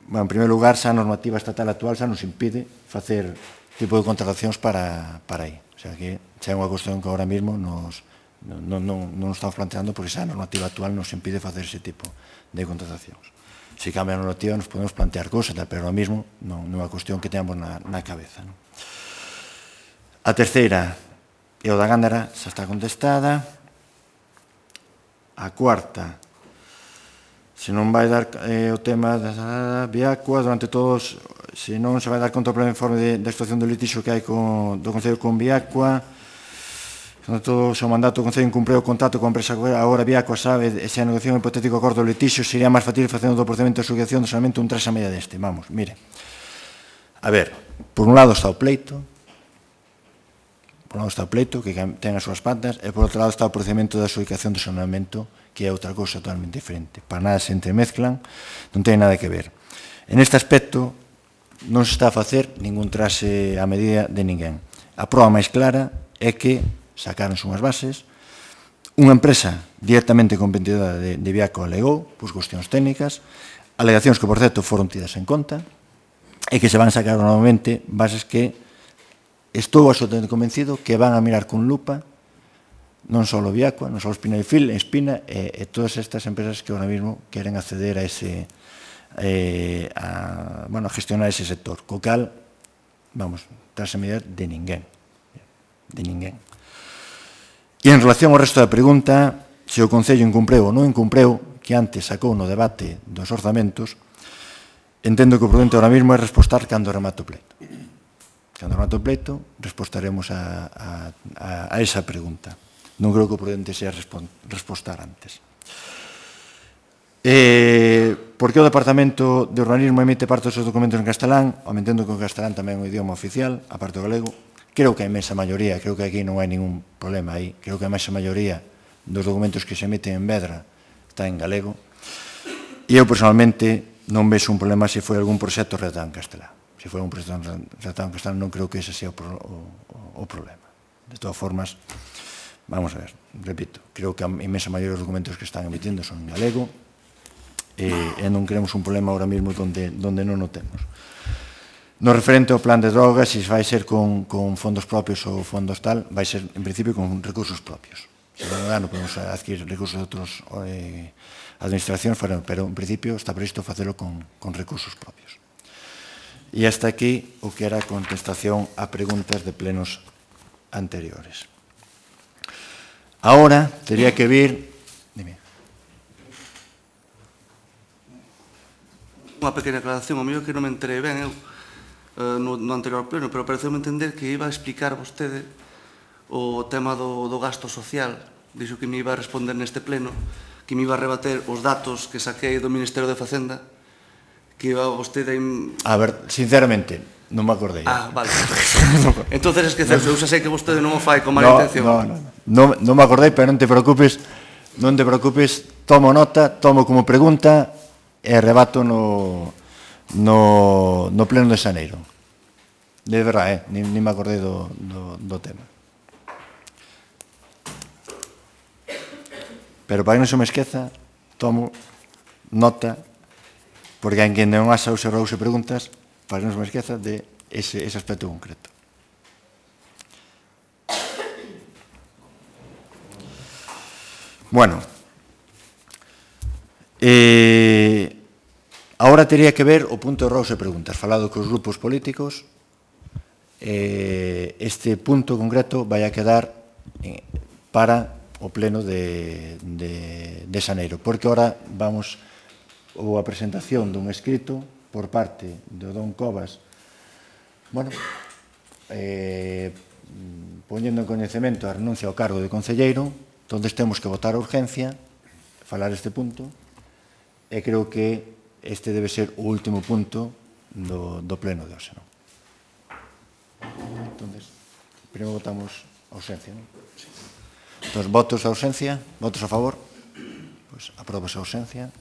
En primeiro lugar, xa a normativa estatal actual xa nos impide facer tipo de contratacións para aí. O sea, que xa é unha cuestión que ahora mesmo non estamos planteando porque xa a normativa actual nos impide facer ese tipo de contratacións. Se cambia a normativa nos podemos plantear cosas, pero ahora mesmo non é unha cuestión que teamos na cabeza. A terceira é o da Gándara, xa está contestada. A cuarta, se non vai dar o tema da Viacua, durante todos, se non se vai dar conta do pleno informe da situación do litixo que hai do Concello con Viacua, durante todo o seu mandato o Concello incumpreu o contrato con a empresa agora Viacua, sabe, e se a negociación hipotético acordo do litixo sería máis facil facendo do procedimento de asociación do solamente un 3 a media deste. Vamos, mire, a ver, por un lado está o pleito, que ten as súas patas, e por outro lado está o procedimento de adxudicación do saneamento, que é outra cousa totalmente diferente. Para nada se entremezclan, non ten nada que ver. En este aspecto, non se está a facer ningún trase a medida de ninguén. A proba máis clara é que sacaronse unhas bases, unha empresa directamente competidora de Viacua alegou, por cuestións técnicas, alegacións que, por certo, foron tidas en conta, e que se van sacar novamente bases que estou absolutamente convencido que van a mirar con lupa non só o Viacua, non só Espina e Fil, Espina e todas estas empresas que ahora mesmo queren acceder a gestionar ese sector. Co cal, tras a medida de ninguén. E en relación ao resto da pregunta, se o Concello incumpreu ou non incumpreu, que antes sacou no debate dos orzamentos, entendo que o prudente ahora mesmo é respostar cando remate o pleito. Cando remate o pleito, respostaremos a esa pregunta. Non creo que o prudente sea respostar antes. Por que o Departamento de Urbanismo emite parte dos seus documentos en castelán? Entendo que o castelán tamén é un idioma oficial, aparte do galego. Creo que a imensa maioría, creo que aquí non hai ningún problema aí, creo que a imensa maioría dos documentos que se emiten en Vedra está en galego. E eu, personalmente, non vexo un problema se foi algún proxecto redactado en castelán. Se foi un proxecto redactado en castelán, non creo que ese sea o problema. De todas formas, vamos a ver, repito, creo que a imensa maioría dos documentos que están emitindo son en galego, e non queremos un problema ahora mesmo onde non o temos. No referente ao plan de drogas, se vai ser con fondos propios ou fondos tal, vai ser, en principio, con recursos propios. Se non dá, non podemos adquirir recursos de outros administracións, pero, en principio, está previsto facelo con recursos propios. E hasta aquí o que era a contestación a preguntas de plenos anteriores. Ahora, teria que vir... Unha pequena aclaración, o mío que non me enterei ben eu no anterior pleno, pero pareceu-me entender que iba a explicar vostede o tema do gasto social. Dixo que me iba a responder neste pleno, que me iba a rebater os datos que saquei do Ministerio de Facenda, que iba vostede... A ver, sinceramente, non me acordei. Ah, vale. Entonces esquecerse, eu xa sei que vostede non o fai con mala intención. Non me acordei, pero non te preocupes, tomo nota, tomo como pregunta e rebato no pleno de xaneiro. De verdade, nin me acordei do tema. Pero para que non se me esqueza, tomo nota, porque hai quen non asa ou se rouse preguntas, para que non se me esqueza de ese aspecto concreto. Bueno, agora teria que ver o punto de rouse preguntas, falado cos grupos políticos. Este punto concreto vai a quedar para o pleno de xaneiro, porque ahora vamos a presentación dun escrito por parte do don Cobas, bueno, poñendo en coñecemento a renuncia ao cargo de concelleiro, onde temos que votar a urgencia, falar este punto, e creo que este debe ser o último punto do pleno de hoxe, non? Entón, primeiro votamos a ausencia, non? Entón, votos a ausencia, votos a favor, pois aprobas a ausencia.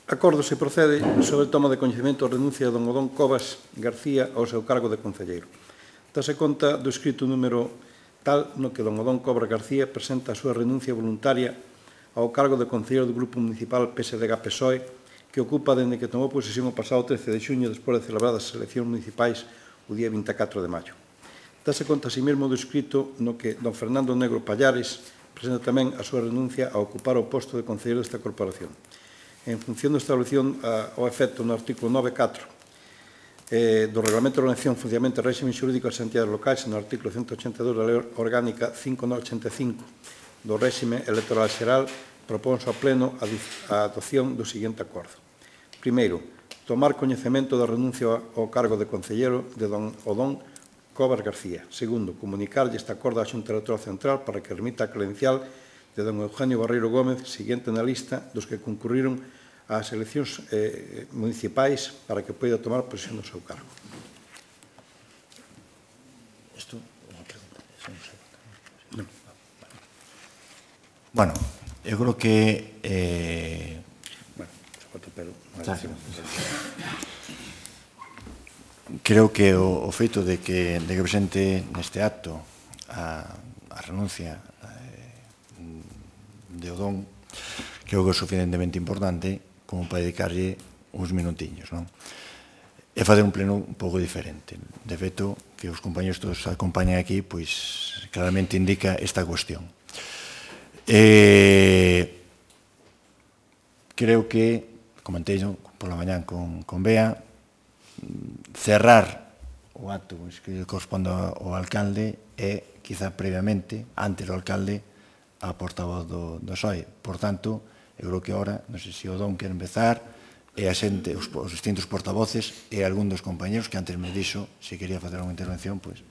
Acordo se procede sobre a toma de coñecemento a renuncia de don Odón Cobas García ao seu cargo de concelleiro. Dase conta do escrito número tal no que don Odón Cobas García presenta a súa renuncia voluntaria ao cargo de concelleiro do Grupo Municipal PSDG-PSOE que ocupa dende que tomou posesión o pasado 13 de xuño despois de celebradas as eleccións municipais o día 24 de maio. Dase conta así mesmo do escrito no que don Fernando Negro Pallares presenta tamén a súa renuncia a ocupar o posto de concelleiro desta corporación. En función da establecido ao efecto no artículo 9.4 do Reglamento de Organización, Funcionamento e Réxime Xurídico das Entidades Locais no artículo 182 da Lei Orgánica 5985 do Réxime Electoral Xeral, propónse ao Pleno a adopción do seguinte acordo. Primeiro, tomar coñecemento da renuncia ao cargo de concelleiro de don Odón Cobas García. Segundo, comunicarlle este acordo á Xunta Electoral Central para que remita a credencial de don Eugenio Barreiro Gómez, seguinte na lista dos que concurriron ás eleccións municipais para que poida tomar posesión do seu cargo. Isto é unha pregunta. Bueno, eu creo que... Creo que o feito de que presente neste acto a renuncia de Odón creo que é suficientemente importante como para dedicarlle uns minutiños, non? E facer un pleno un pouco diferente. De feito, que os compañeros todos acompañan aquí, pois claramente indica esta cuestión. Creo que, comentei pola mañán con Bea, cerrar o acto que corresponde ao alcalde é quizá previamente, antes do alcalde, a portavoz do PSOE. Por tanto, eu creo que ahora, non sei se o Don quer empezar, e a xente, os distintos portavoces e algún dos compañeros que antes me dixo se quería facer unha intervención, pois...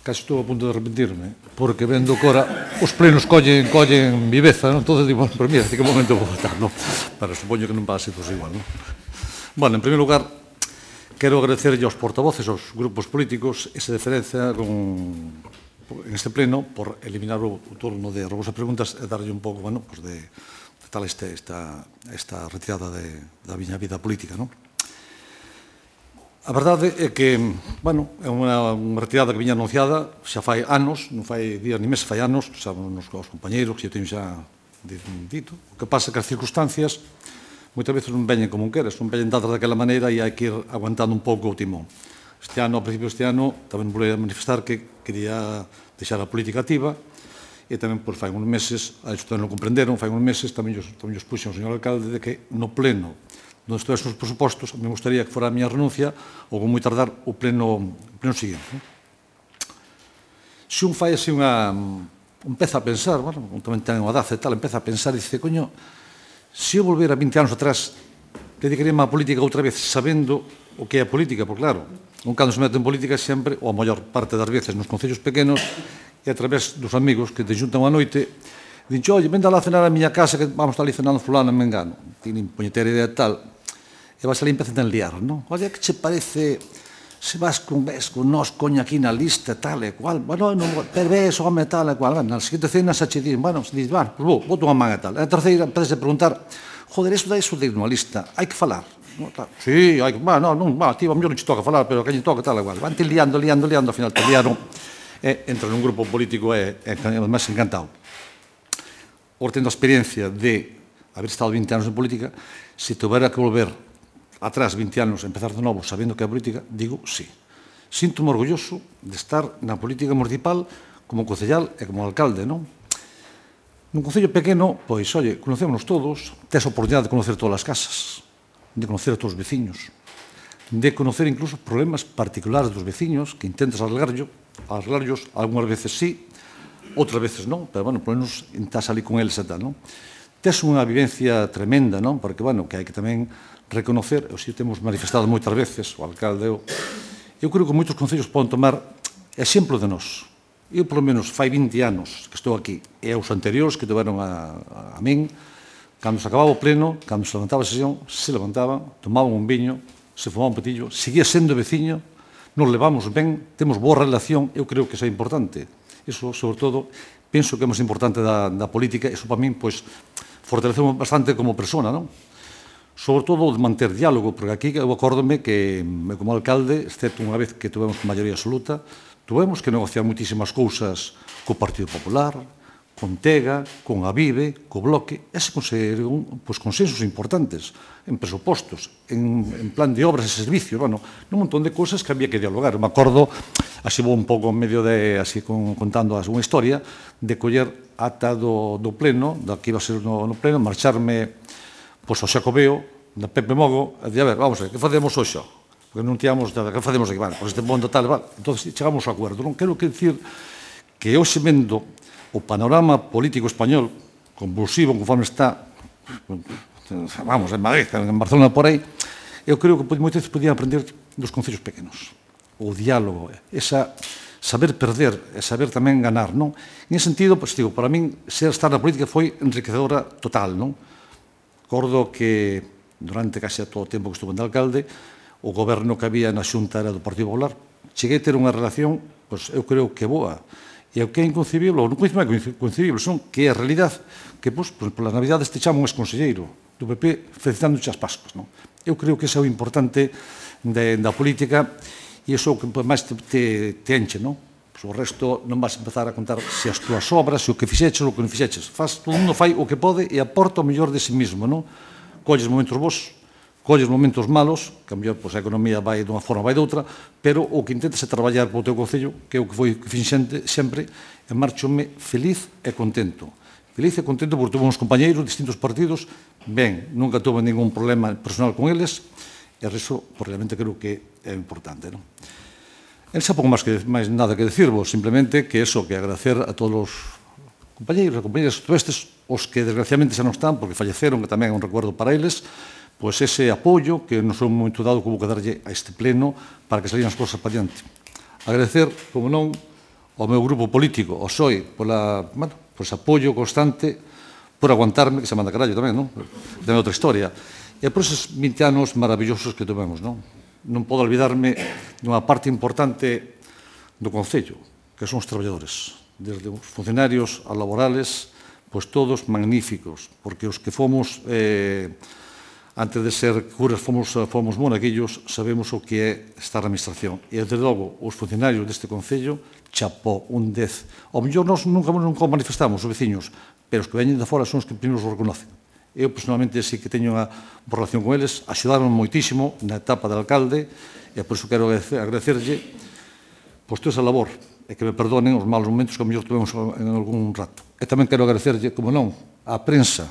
Casi estou a punto de arrepentirme, porque vendo que ora os plenos collen viveza, non? Entón, digo, pero mira, que momento vou votar, non? Pero supoño que non va a ser igual, non? Bueno, en primeiro lugar, quero agradecerlle aos portavoces, aos grupos políticos, esa deferencia en este pleno por eliminar o turno de robos e preguntas e darlle un pouco, bueno, pues de tal esta retirada da miña vida política, non? A verdade é que, bueno, é unha retirada que viña anunciada xa fai anos, non fai días ni meses, fai anos, xa nos compañeiros que eu teño xa dito. O que pasa é que as circunstancias moitas veces non veñen como queres, non veñen dadas daquela maneira e hai que ir aguantando un pouco o timón. Este ano, a principio deste ano, tamén volei manifestar que quería deixar a política activa e tamén, pois, fai uns meses, a isto non comprenderon, fai uns meses tamén os puxen o señor alcalde de que no pleno onde estuvesen os presupostos, me gustaría que fora a miña renuncia ou con moi tardar o pleno seguinte. Se un fai así empeza a pensar, bueno, tamén ten unha daza e tal, empeza a pensar e dice, coño, se eu volver a 20 anos atrás, dedicaríame á política outra vez, sabendo o que é a política, porque claro, un cando se mete en política sempre, ou a maior parte das veces nos concellos pequenos, e a través dos amigos que te xuntan unha noite, dixo, oi, venda lá a cenar a miña casa que vamos estar ali cenando fulano, me engano. Tienen puñetera idea tal. E vas ali e empezan a liar, non? Oye, que che parece se vas con nós, coño, aquí na lista, tal e cual? Bueno, pero ves, home, tal e cual. Na seguinte cena xa che din, bueno, se dis, bueno, pues vou unha manga tal. E a terceira, empezas a preguntar, joder, eso de nunha lista, hai que falar. Sí, hai que, bueno, non, tío, a mellor non che toca falar, pero a que lle toca tal e cual. Van te liando, ao final te liaron. E entra nun grupo político e además encantado. Por tendo a experiencia de haber estado 20 anos en política, se tuvera que volver atrás 20 anos, empezar de novo, sabendo que é a política, digo sí. Sinto-me orgulloso de estar na política municipal como concellal e como alcalde, non? Nun concello pequeno, pois, oye, conocémonos todos, tes a oportunidade de conocer todas as casas, de conocer a todos os veciños, de conocer incluso problemas particulares dos veciños que intentas arreglarlos, algunhas veces sí, outras veces non, pero, bueno, por menos estás ali con eles e tal, non? Tes unha vivencia tremenda, non? Porque, bueno, que hai que tamén reconocer, e o temos manifestado moitas veces, o alcalde, eu creo que moitos concellos poden tomar exemplo de nós. Eu, polo menos, fai 20 anos que estou aquí, e os anteriores que tiveron a min, cando se acababa o pleno, cando se levantaba a sesión, se levantaban, tomaban un viño, se fumaban un petillo, seguía sendo veciño, nos levamos ben, temos boa relación, eu creo que isso é importante. Iso, sobre todo, penso que é máis importante da política, iso para min, pois, fortaleceu bastante como persona, non? Sobre todo de manter diálogo, porque aquí eu acórdome que, como alcalde, excepto unha vez que tuvemos maioría absoluta, tuvemos que negociar moitísimas cousas co Partido Popular, con Tega, con Avive, co Bloque, e se conseguiron consensos importantes en presupostos, en plan de obras e servicios, bueno, un montón de cousas que había que dialogar. Me acordo, así vou un pouco en medio de, así contando unha historia, de coller ata do pleno, da que iba a ser no pleno, marcharme ao Xacobeo, da Pepe Mogo, e dicir, a ver, vamos a ver, que facemos hoxe? Porque non tíamos nada, que facemos aquí? Vale, pois este mundo tal, vale. Entón, chegamos ao acuerdo. Non quero que dicir que hoxe vendo o panorama político español convulsivo conforme está, vamos, en Madrid, en Barcelona, por aí, eu creo que moitas veces podían aprender dos concellos pequenos. O diálogo, esa saber perder e saber tamén ganar, non? En ese sentido, pois, digo, para min, estar na política foi enriquecedora total, non? Recordo que durante case todo o tempo que estuve de alcalde, o goberno que había na Xunta era do Partido Popular. Cheguei a ter unha relación, pois, eu creo que boa. E o que é inconcebible, ou non é inconcebible, son que é a realidade que, pois, polas Navidades te chamo un ex-conselleiro do PP felicitándoche as Pascuas, non? Eu creo que iso é o importante da política e iso que máis te enche, non? O resto non vas a empezar a contar se as túas obras, se o que fixeches ou o que non fixeches. Todo mundo fai o que pode e aporta o mellor de si mismo, non? Colles momentos bons, colles momentos malos, que a mellor a economía vai dunha forma, vai doutra, pero o que intentas é traballar para o teu concello, que é o que foi finxente sempre, e marchome feliz e contento. Feliz e contento porque tuve uns compañeiros de distintos partidos, ben, nunca tuve ningún problema personal con eles, E iso, realmente, creo que é importante, non? Xa pouco máis nada que decirvos, simplemente que agradecer a todos os compañeiros e compañeras estes, os que desgraciadamente xa non están, porque falleceron, que tamén é un recuerdo para eles, pois ese apoio que non son momento dado que vou que darlle a este pleno para que salían as cousas para diante. Agradecer, como non, ao meu grupo político, ao PSOE, por ese apoio constante, por aguantarme, que se manda carallo tamén, non? Tamén outra historia. E por esos 20 anos maravillosos que tivemos, non? Non podo olvidarme dunha parte importante do Concello, que son os traballadores, desde os funcionarios a laborales, pois todos magníficos, porque os que fomos, antes de ser curas, fomos monaguillos, sabemos o que é estar na administración. E, desde logo, os funcionarios deste Concello, chapó, un 10. Ao mellor nós nunca manifestamos, os veciños, pero os que veñen de fora son os que primeiros o reconocen. Eu, personalmente, sí que teño unha relación con eles, axudaron moitísimo na etapa de alcalde, e por iso quero agradecerlle toda esa labor, e que me perdonen os malos momentos que a mellor tivemos en algún rato. E tamén quero agradecerlle, como non, á prensa,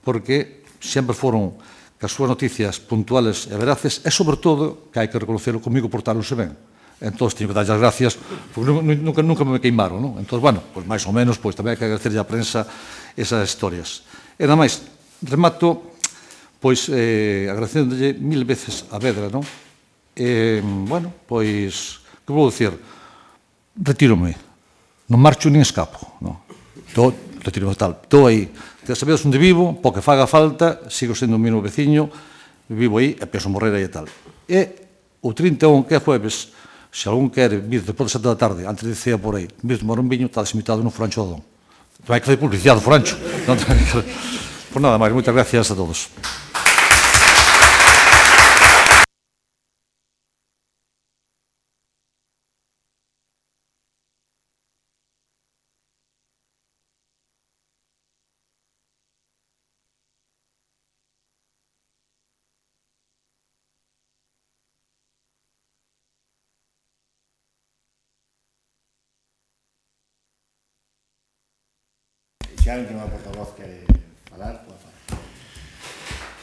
porque sempre foron que as súas noticias puntuales e veraces, e, sobre todo, que hai que reconocerlo, comigo portáronse ben. Entón, teño que darlle as gracias, porque nunca me queimaron, non? Entón, bueno, máis ou menos, tamén hai que agradecerlle á prensa esas historias. E, nada máis, remato, agradecéndolle 1000 veces a Vedra, non? Bueno, que vou dicir? Retírome. Non marcho nin escapo, non? Retírome tal. Estou aí. Sabedes onde vivo, porque faga falta, sigo sendo o mesmo veciño, vivo aí e penso morrer aí e tal. E o 31, que é jueves, se algún quere vir despois das 7 da tarde, antes de cea por aí, vir tomar un viño, está invitado no Forancho do Dón. Hai que fazer publicidade do Forancho. Por nada máis, moitas gracias a todos. Se a última portavoz quere falar, pode falar.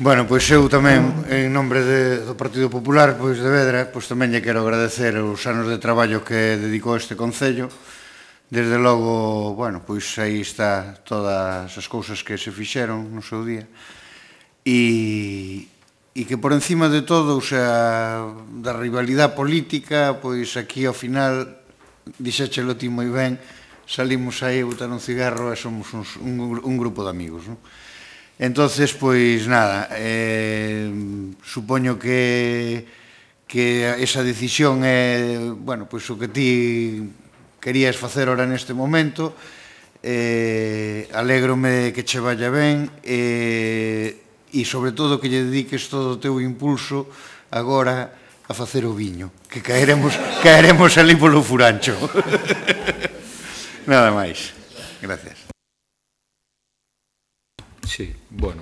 Bueno, pois eu tamén, en nombre do Partido Popular, pois de Vedra, pois tamén lle quero agradecer os anos de traballo que dedicou este Concello. Desde logo, bueno, pois aí está todas as cousas que se fixeron no seu día. E que por encima de todo, o sea, da rivalidade política, pois aquí ao final, dixéchelo ti moi ben, salimos aí a botar un cigarro e somos un grupo de amigos, non? Entonces, pois, nada, supoño que esa decisión é, bueno, pois o que ti querías facer ora neste momento, alégrome que che vaya ben, e sobre todo que lle dediques todo o teu impulso agora a facer o viño, que caeremos ali polo Furancho. Nada máis. Gracias. Sí, bueno,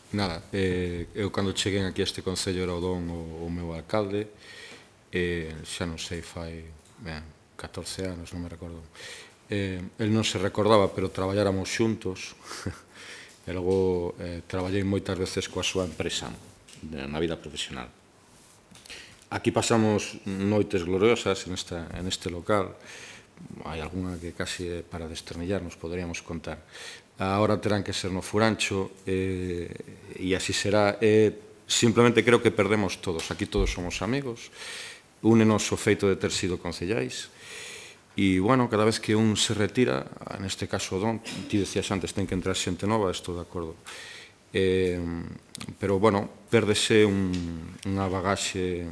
nada, eu cando cheguei aquí a este Concello era o Don o meu alcalde, xa non sei, fai 14 anos, non me recordo. El non se recordaba, pero traballáramos xuntos, e logo traballei moitas veces coa súa empresa na vida profesional. Aquí pasamos noites gloriosas en este local. Hai algunha que casi para desternillarnos poderíamos contar. Ahora terán que ser no Furancho e así será. Simplemente creo que perdemos todos. Aquí todos somos amigos. Únenos o feito de ter sido concellais. E, bueno, cada vez que un se retira, neste caso o Don, ti decías antes, ten que entrar xente nova, estou de acordo. Pero, bueno, pérdese unha bagaxe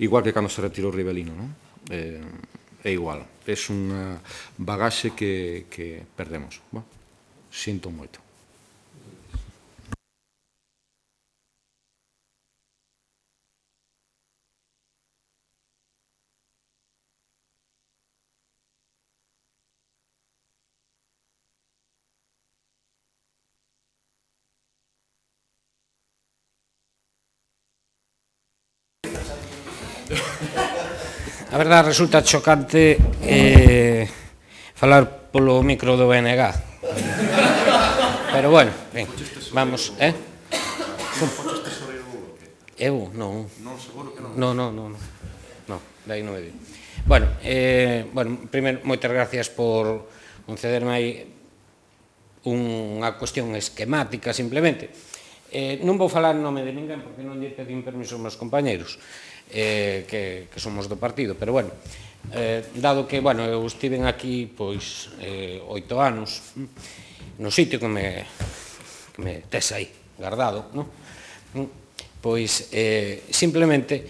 igual que cando se retirou o Ribelino, non? É igual, é unha bagaxe que perdemos. Sinto moito. A verdade resulta chocante falar polo micro do BNG. Pero bueno, ben, vamos, Eu? Non. Non, seguro que non. Non, dai non me digo. Bueno, primeiro, moitas gracias por concederme aí unha cuestión esquemática, simplemente. Non vou falar en nome de ninguén, porque non lle pedín permiso aos meus compañeiros, que somos do partido, pero, bueno, dado que, bueno, eu estiven aquí, pois, 8 anos, no sitio que me tes aí, guardado, non? Pois, simplemente,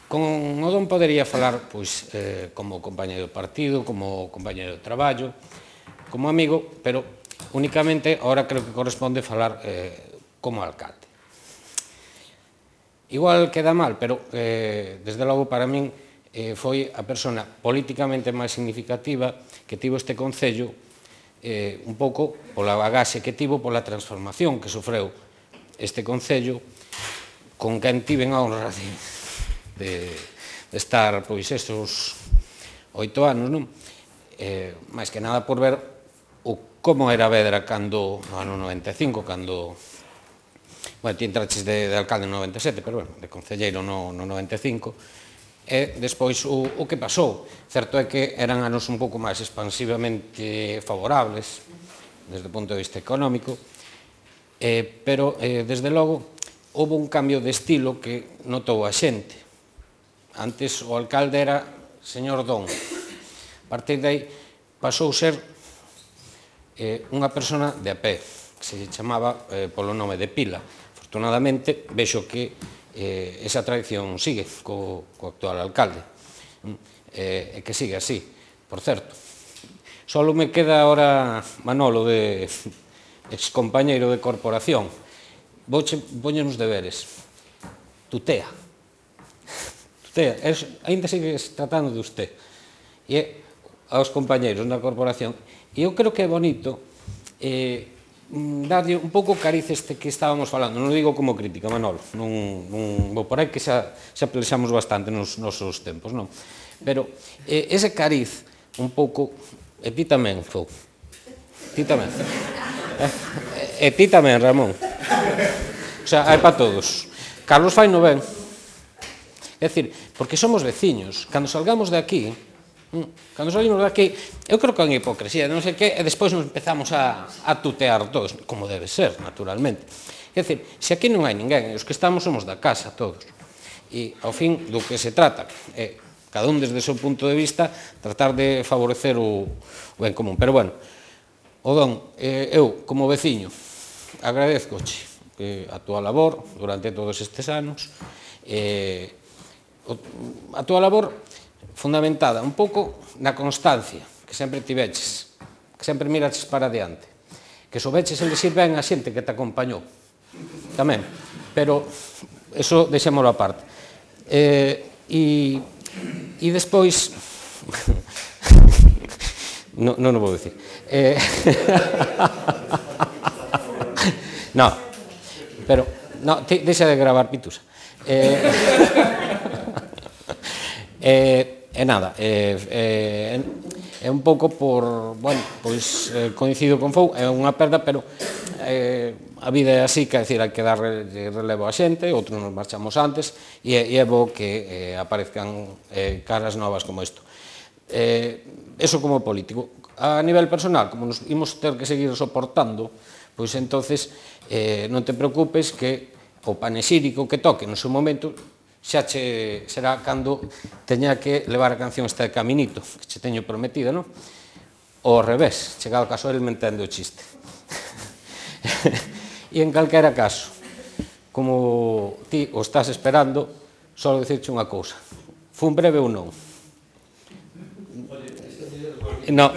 con o don podería falar, pois, como compañeiro do partido, como compañeiro de traballo, como amigo, pero únicamente ahora creo que corresponde falar como alcalde. Igual queda mal, pero desde logo para min foi a persona políticamente máis significativa que tivo este concello, un pouco pola bagaxe que tivo, pola transformación que sofreu este concello, con quen tiven a honra de estar, pois, esos 8 anos, non? Máis que nada por ver como era Vedra cando, no ano 95, cando, bueno, ti entraches de alcalde no 97, pero, bueno, de concelleiro no 95, e despois o que pasou. Certo é que eran anos un pouco máis expansivamente favorables, desde o punto de vista económico, pero, desde logo, houve un cambio de estilo que notou a xente. Antes o alcalde era señor Don. A partir de aí pasou ser unha persona de a pé, que se chamaba polo nome de Pila. Afortunadamente, vexo que esa tradición sigue co actual alcalde, e que sigue así, por certo. Só me queda ahora Manolo, de excompañeiro de corporación. Vouche poñer uns deberes. Tutea. Ainda sigues tratando de usted. E aos compañeiros na corporación. E eu creo que é bonito darlle un pouco cariz este que estábamos falando. Non digo como crítica, Manolo. Non vou por aí, que xa pelexamos bastante nos nosos tempos, non? Pero ese cariz, un pouco... E ti tamén, Fou. Ti tamén. E ti tamén, Ramón. O sea, hai para todos. Carlos fai no ben. É dicir, porque somos veciños. Cando salgamos de aquí, eu creo que é unha hipocresía, non sei que, e despois nos empezamos a tutear todos, como debe ser, naturalmente. É dicir, se aquí non hai ninguén, os que estamos somos da casa, todos. E, ao fin, do que se trata é, cada un desde o seu punto de vista, tratar de favorecer o ben común. Pero, bueno, o Don, eu, como veciño, agradezcoche a túa labor durante todos estes anos, a túa labor fundamentada un pouco na constancia que sempre tiveches, que sempre miraches para adiante, que soubeches elegir ben a xente que te acompañou tamén, pero eso deixémolo aparte. E despois non o vou dicir. Non, pero deixa de gravar, Pitusa. E nada, é un pouco por, bueno, pois coincido con Fou, é unha perda, pero a vida é así, que decir, hai que dar relevo a xente, outros nos marchamos antes, e é bo que aparezcan caras novas como isto. Eso como político. A nivel personal, como nos imos ter que seguir soportando, pois entonces non te preocupes que o panexírico que toque no seu momento xa che será cando teña que levar a canción esta de Caminito, que che teño prometida, non? Ou ao revés, chegado o caso, el me entende o chiste. E en calquera caso, como ti o estás esperando, só dicirche unha cousa. Fun breve ou non? Non.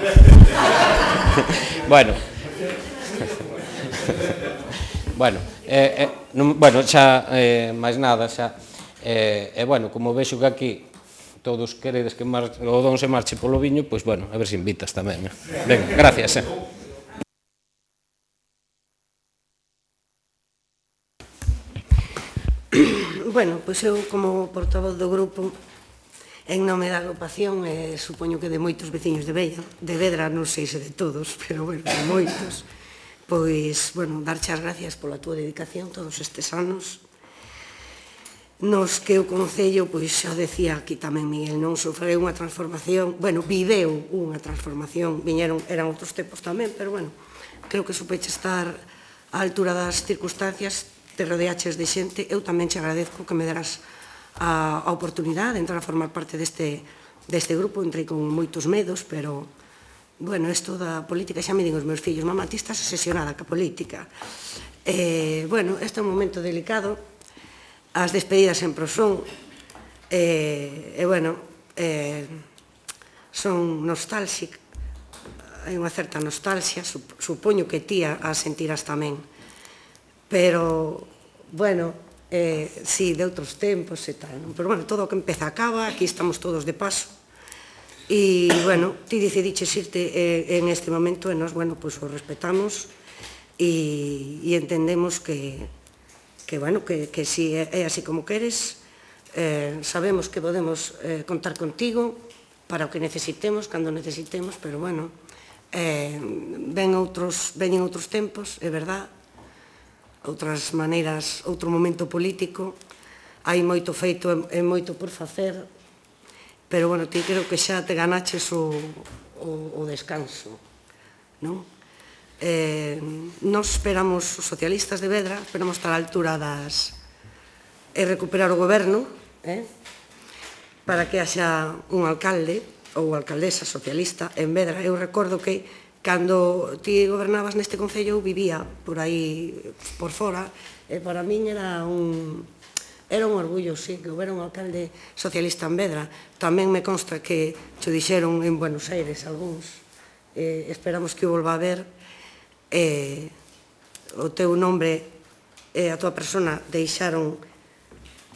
Bueno. Bueno, xa, máis nada, xa. E, bueno, como vexo que aquí todos queredes que o Don se marche polo viño, pois, bueno, a ver se invitas tamén. Ben, gracias. Bueno, pois eu, como portavoz do grupo, en nome da agrupación, supoño que de moitos veciños de Vedra, non sei se de todos, pero, bueno, de moitos, pois, bueno, darche as gracias pola túa dedicación todos estes anos. nos que o Concello, pois xa decía aquí tamén Miguel, non sofreu unha transformación, bueno, viveu unha transformación, eran outros tempos tamén, pero bueno, creo que supeche estar á altura das circunstancias, te rodeaches de xente, eu tamén te agradezco que me deras a oportunidade de entrar a formar parte deste grupo, entrei con moitos medos, pero, bueno, isto da política, xa me din os meus fillos, mamá, ti estás obsesionada ca política. Bueno, este é un momento delicado, as despedidas sempre son, bueno, son nostálxicas, hai unha certa nostalgia, supoño que ti a sentirás tamén, pero, bueno, sí, de outros tempos e tal, pero, bueno, todo o que empeza acaba, aquí estamos todos de paso, e, bueno, ti decidiches irte en este momento e nos, bueno, pois o respetamos e entendemos que, bueno, que si é así como queres, sabemos que podemos contar contigo para o que necesitemos, cando necesitemos, pero, bueno, veñen outros tempos, é verdad, outras maneiras, outro momento político, hai moito feito e moito por facer, pero, bueno, ti creo que xa te ganaches o descanso, non? Nos esperamos, os socialistas de Vedra, esperamos estar á altura e recuperar o goberno, para que haxa un alcalde ou alcaldesa socialista en Vedra. Eu recordo que cando ti gobernabas neste concello eu vivía por aí, por fora, e para min era un orgullo, sí, que houbera un alcalde socialista en Vedra. Tamén me consta que te dixeron en Buenos Aires algúns, esperamos que o volva a ver, o teu nombre e a tua persona deixaron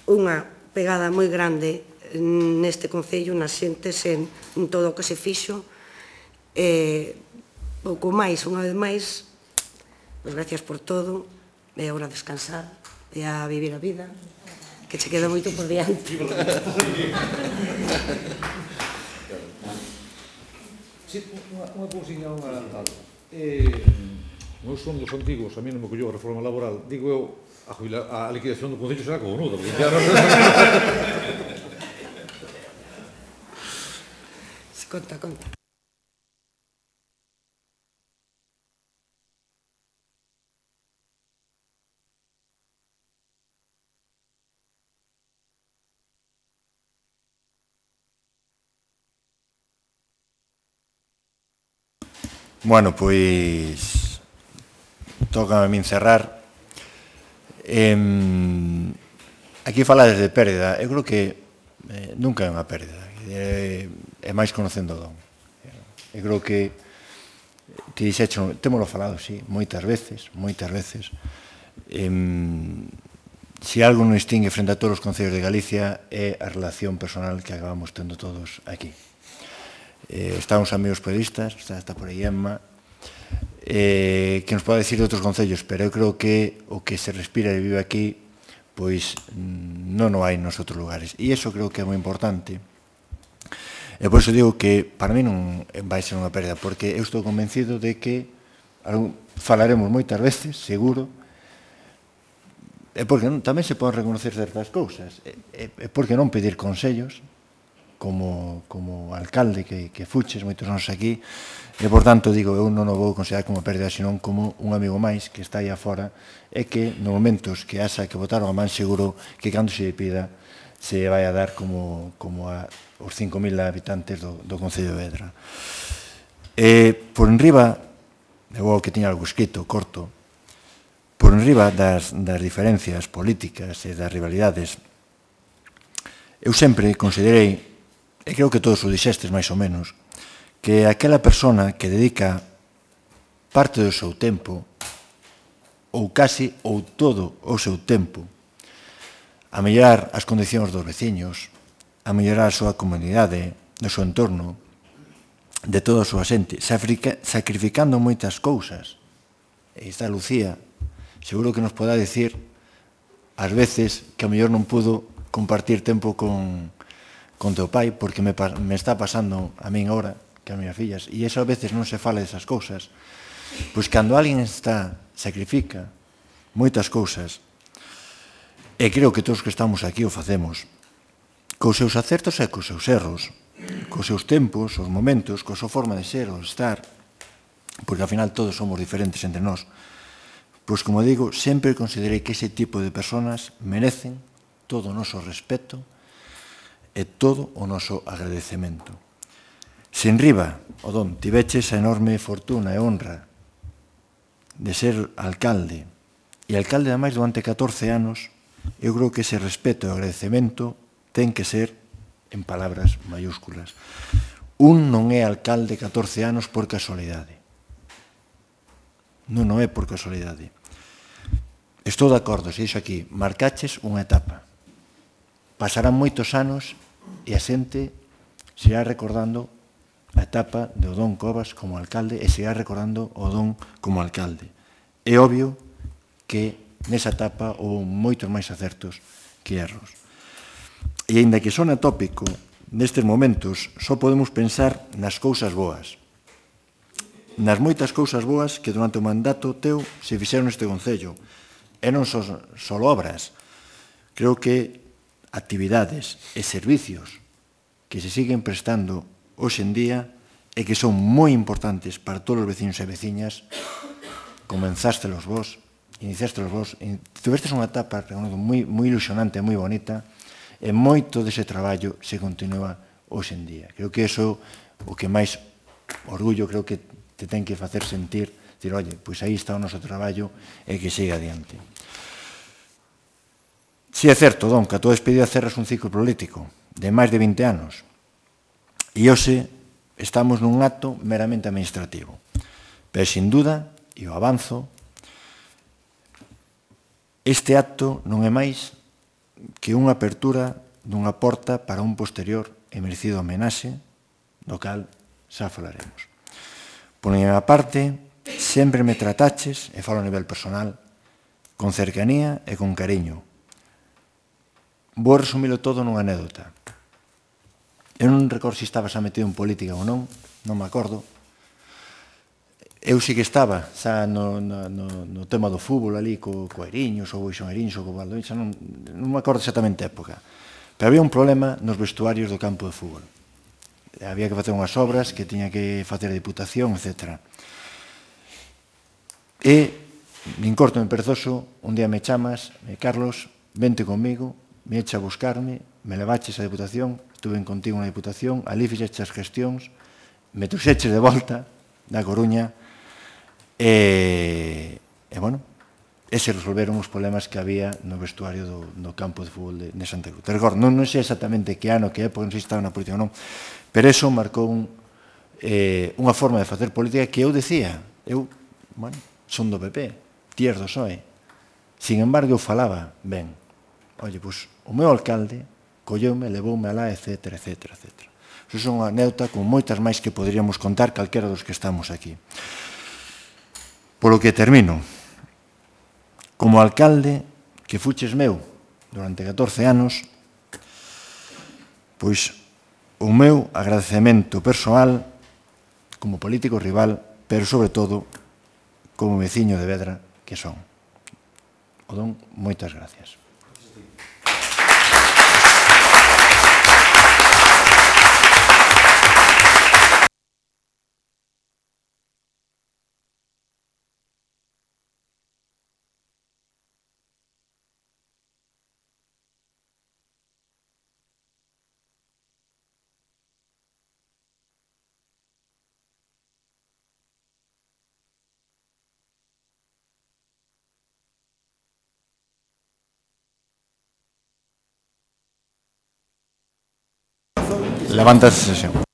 unha pegada moi grande neste concello, nas xentes, en todo o que se fixo. Pouco máis, unha vez máis, pois gracias por todo, é hora de descansar e a vivir a vida, que che queda moito por diante. Sí, unha cousinha, unha tal. Meus son dos antigos, a mí non me collou a reforma laboral, digo eu, a liquidación do Concello será cojonuda, porque ya non... Conta. Bueno, pois toca a min cerrar. Aquí falades de pérdida. Eu creo que nunca é unha pérdida. É máis conocendo o don. Eu creo que ti dixecho, témolo falado, sí, moitas veces. Se algo non distingue frente a todos os concellos de Galicia é a relación personal que acabamos tendo todos aquí. Están os amigos periodistas, está por aí Emma, que nos pode decir de outros concellos, pero eu creo que o que se respira e vive aquí, pois non o hai nos outros lugares. E iso creo que é moi importante. E por iso digo que para mí non vai ser unha pérdida, porque eu estou convencido de que falaremos moitas veces, seguro, e porque tamén se poden reconocer certas cousas, e porque non pedir consellos, como alcalde que fuches moitos anos aquí, e por tanto digo, eu non o vou considerar como pérdida, senón como un amigo máis que está aí afora e que nos momentos que haxa que botaron a man, seguro que cando se pida se vai a dar como os 5.000 habitantes do Concello de Vedra. Por enriba, eu que tiña algo escrito, corto, por enriba das diferencias políticas e das rivalidades, eu sempre considerei, e creo que todos o dixestes máis ou menos, que aquela persona que dedica parte do seu tempo, ou casi ou todo o seu tempo, a mellorar as condicións dos veciños, a mellorar a súa comunidade, do seu entorno, de toda a súa xente, sacrificando moitas cousas. E está Lucía, seguro que nos poderá dicir ás veces que a mellor non pudo compartir tempo con teu pai, porque me está pasando a min ahora, que a miñas fillas, e eso a veces non se fala desas cousas. Pois cando alguén sacrifica moitas cousas E creo que todos que estamos aquí o facemos cos seus acertos e cos seus erros, cos seus tempos, os momentos, coa súa forma de ser ou de estar, porque ao final todos somos diferentes entre nós. Pois, como digo, sempre considerei que ese tipo de personas merecen todo o noso respeto e todo o noso agradecemento. Se en riba, Odón, tiveches a enorme fortuna e honra de ser alcalde, e alcalde ademais durante 14 anos, eu creo que ese respeto e agradecemento ten que ser en palabras mayúsculas. Un non é alcalde 14 anos por casualidade. Non é por casualidade. Estou de acordo, se dixo aquí, marcaches unha etapa. Pasarán moitos anos e a xente se irá recordando a etapa de Odón Covas como alcalde e se irá recordando Odón como alcalde. É obvio que nesa etapa houve moitos máis acertos que erros. E, aínda que sona tópico, nestes momentos só podemos pensar nas cousas boas. Nas moitas cousas boas que durante o mandato teu se fixeron neste Concello. E non só obras. Creo que actividades e servicios que se siguen prestando hoxe en día e que son moi importantes para todos os veciños e veciñas, comenzástelos vos, iniciástelos vos, tuvestes unha etapa moi ilusionante e moi bonita, e moito dese traballo se continúa hoxe en día. Creo que iso o que máis orgullo creo que te ten que facer sentir, dir, oye, pois aí está o noso traballo e que siga adiante. Si é certo, Don, que a tua despedida cerras un ciclo político de máis de 20 anos e hoxe estamos nun acto meramente administrativo. Pero, sin duda, e o avanzo, este acto non é máis que unha apertura dunha porta para un posterior e merecido homenaxe, do cal xa falaremos. Por minha parte, sempre me trataches, e falo a nivel personal, con cercanía e con cariño. Vou resumilo todo nunha anécdota. Eu non recordo se estabas metido en política ou non me acordo. Eu sí que estaba xa no tema do fútbol ali co Eriños ou Boixón Eriños ou co Valdoín, xa non me acordo exactamente a época. Pero había un problema nos vestuarios do campo de fútbol. Había que facer unhas obras que tiña que facer a Diputación, etc. E, nin corto nin perezoso, un día me chamas, Carlos, vente comigo, me echa a buscarme, me levaches a Diputación, estuve contigo na Diputación, ali fixeches as gestións, me trouxeches de volta da Coruña, e bueno, ese resolveron os problemas que había no vestuario do campo de fútbol de Santa Cruz. Te recordo, non sei exactamente que ano, que época, non sei se estaba na política ou non, pero eso marcou unha forma de facer política que eu decía, eu, bueno, son do PP, ti és do PSOE, sin embargo eu falaba ben, oye, pois o meu alcalde colleume, levoume alá, etc, etc, etc. Eso é unha anécdota con moitas máis que poderíamos contar calquera dos que estamos aquí. Polo que termino, como alcalde que fuches meu durante 14 anos, pois o meu agradecemento persoal como político rival, pero sobre todo como veciño de Vedra que son. Odón, moitas gracias. Levanta a sesión.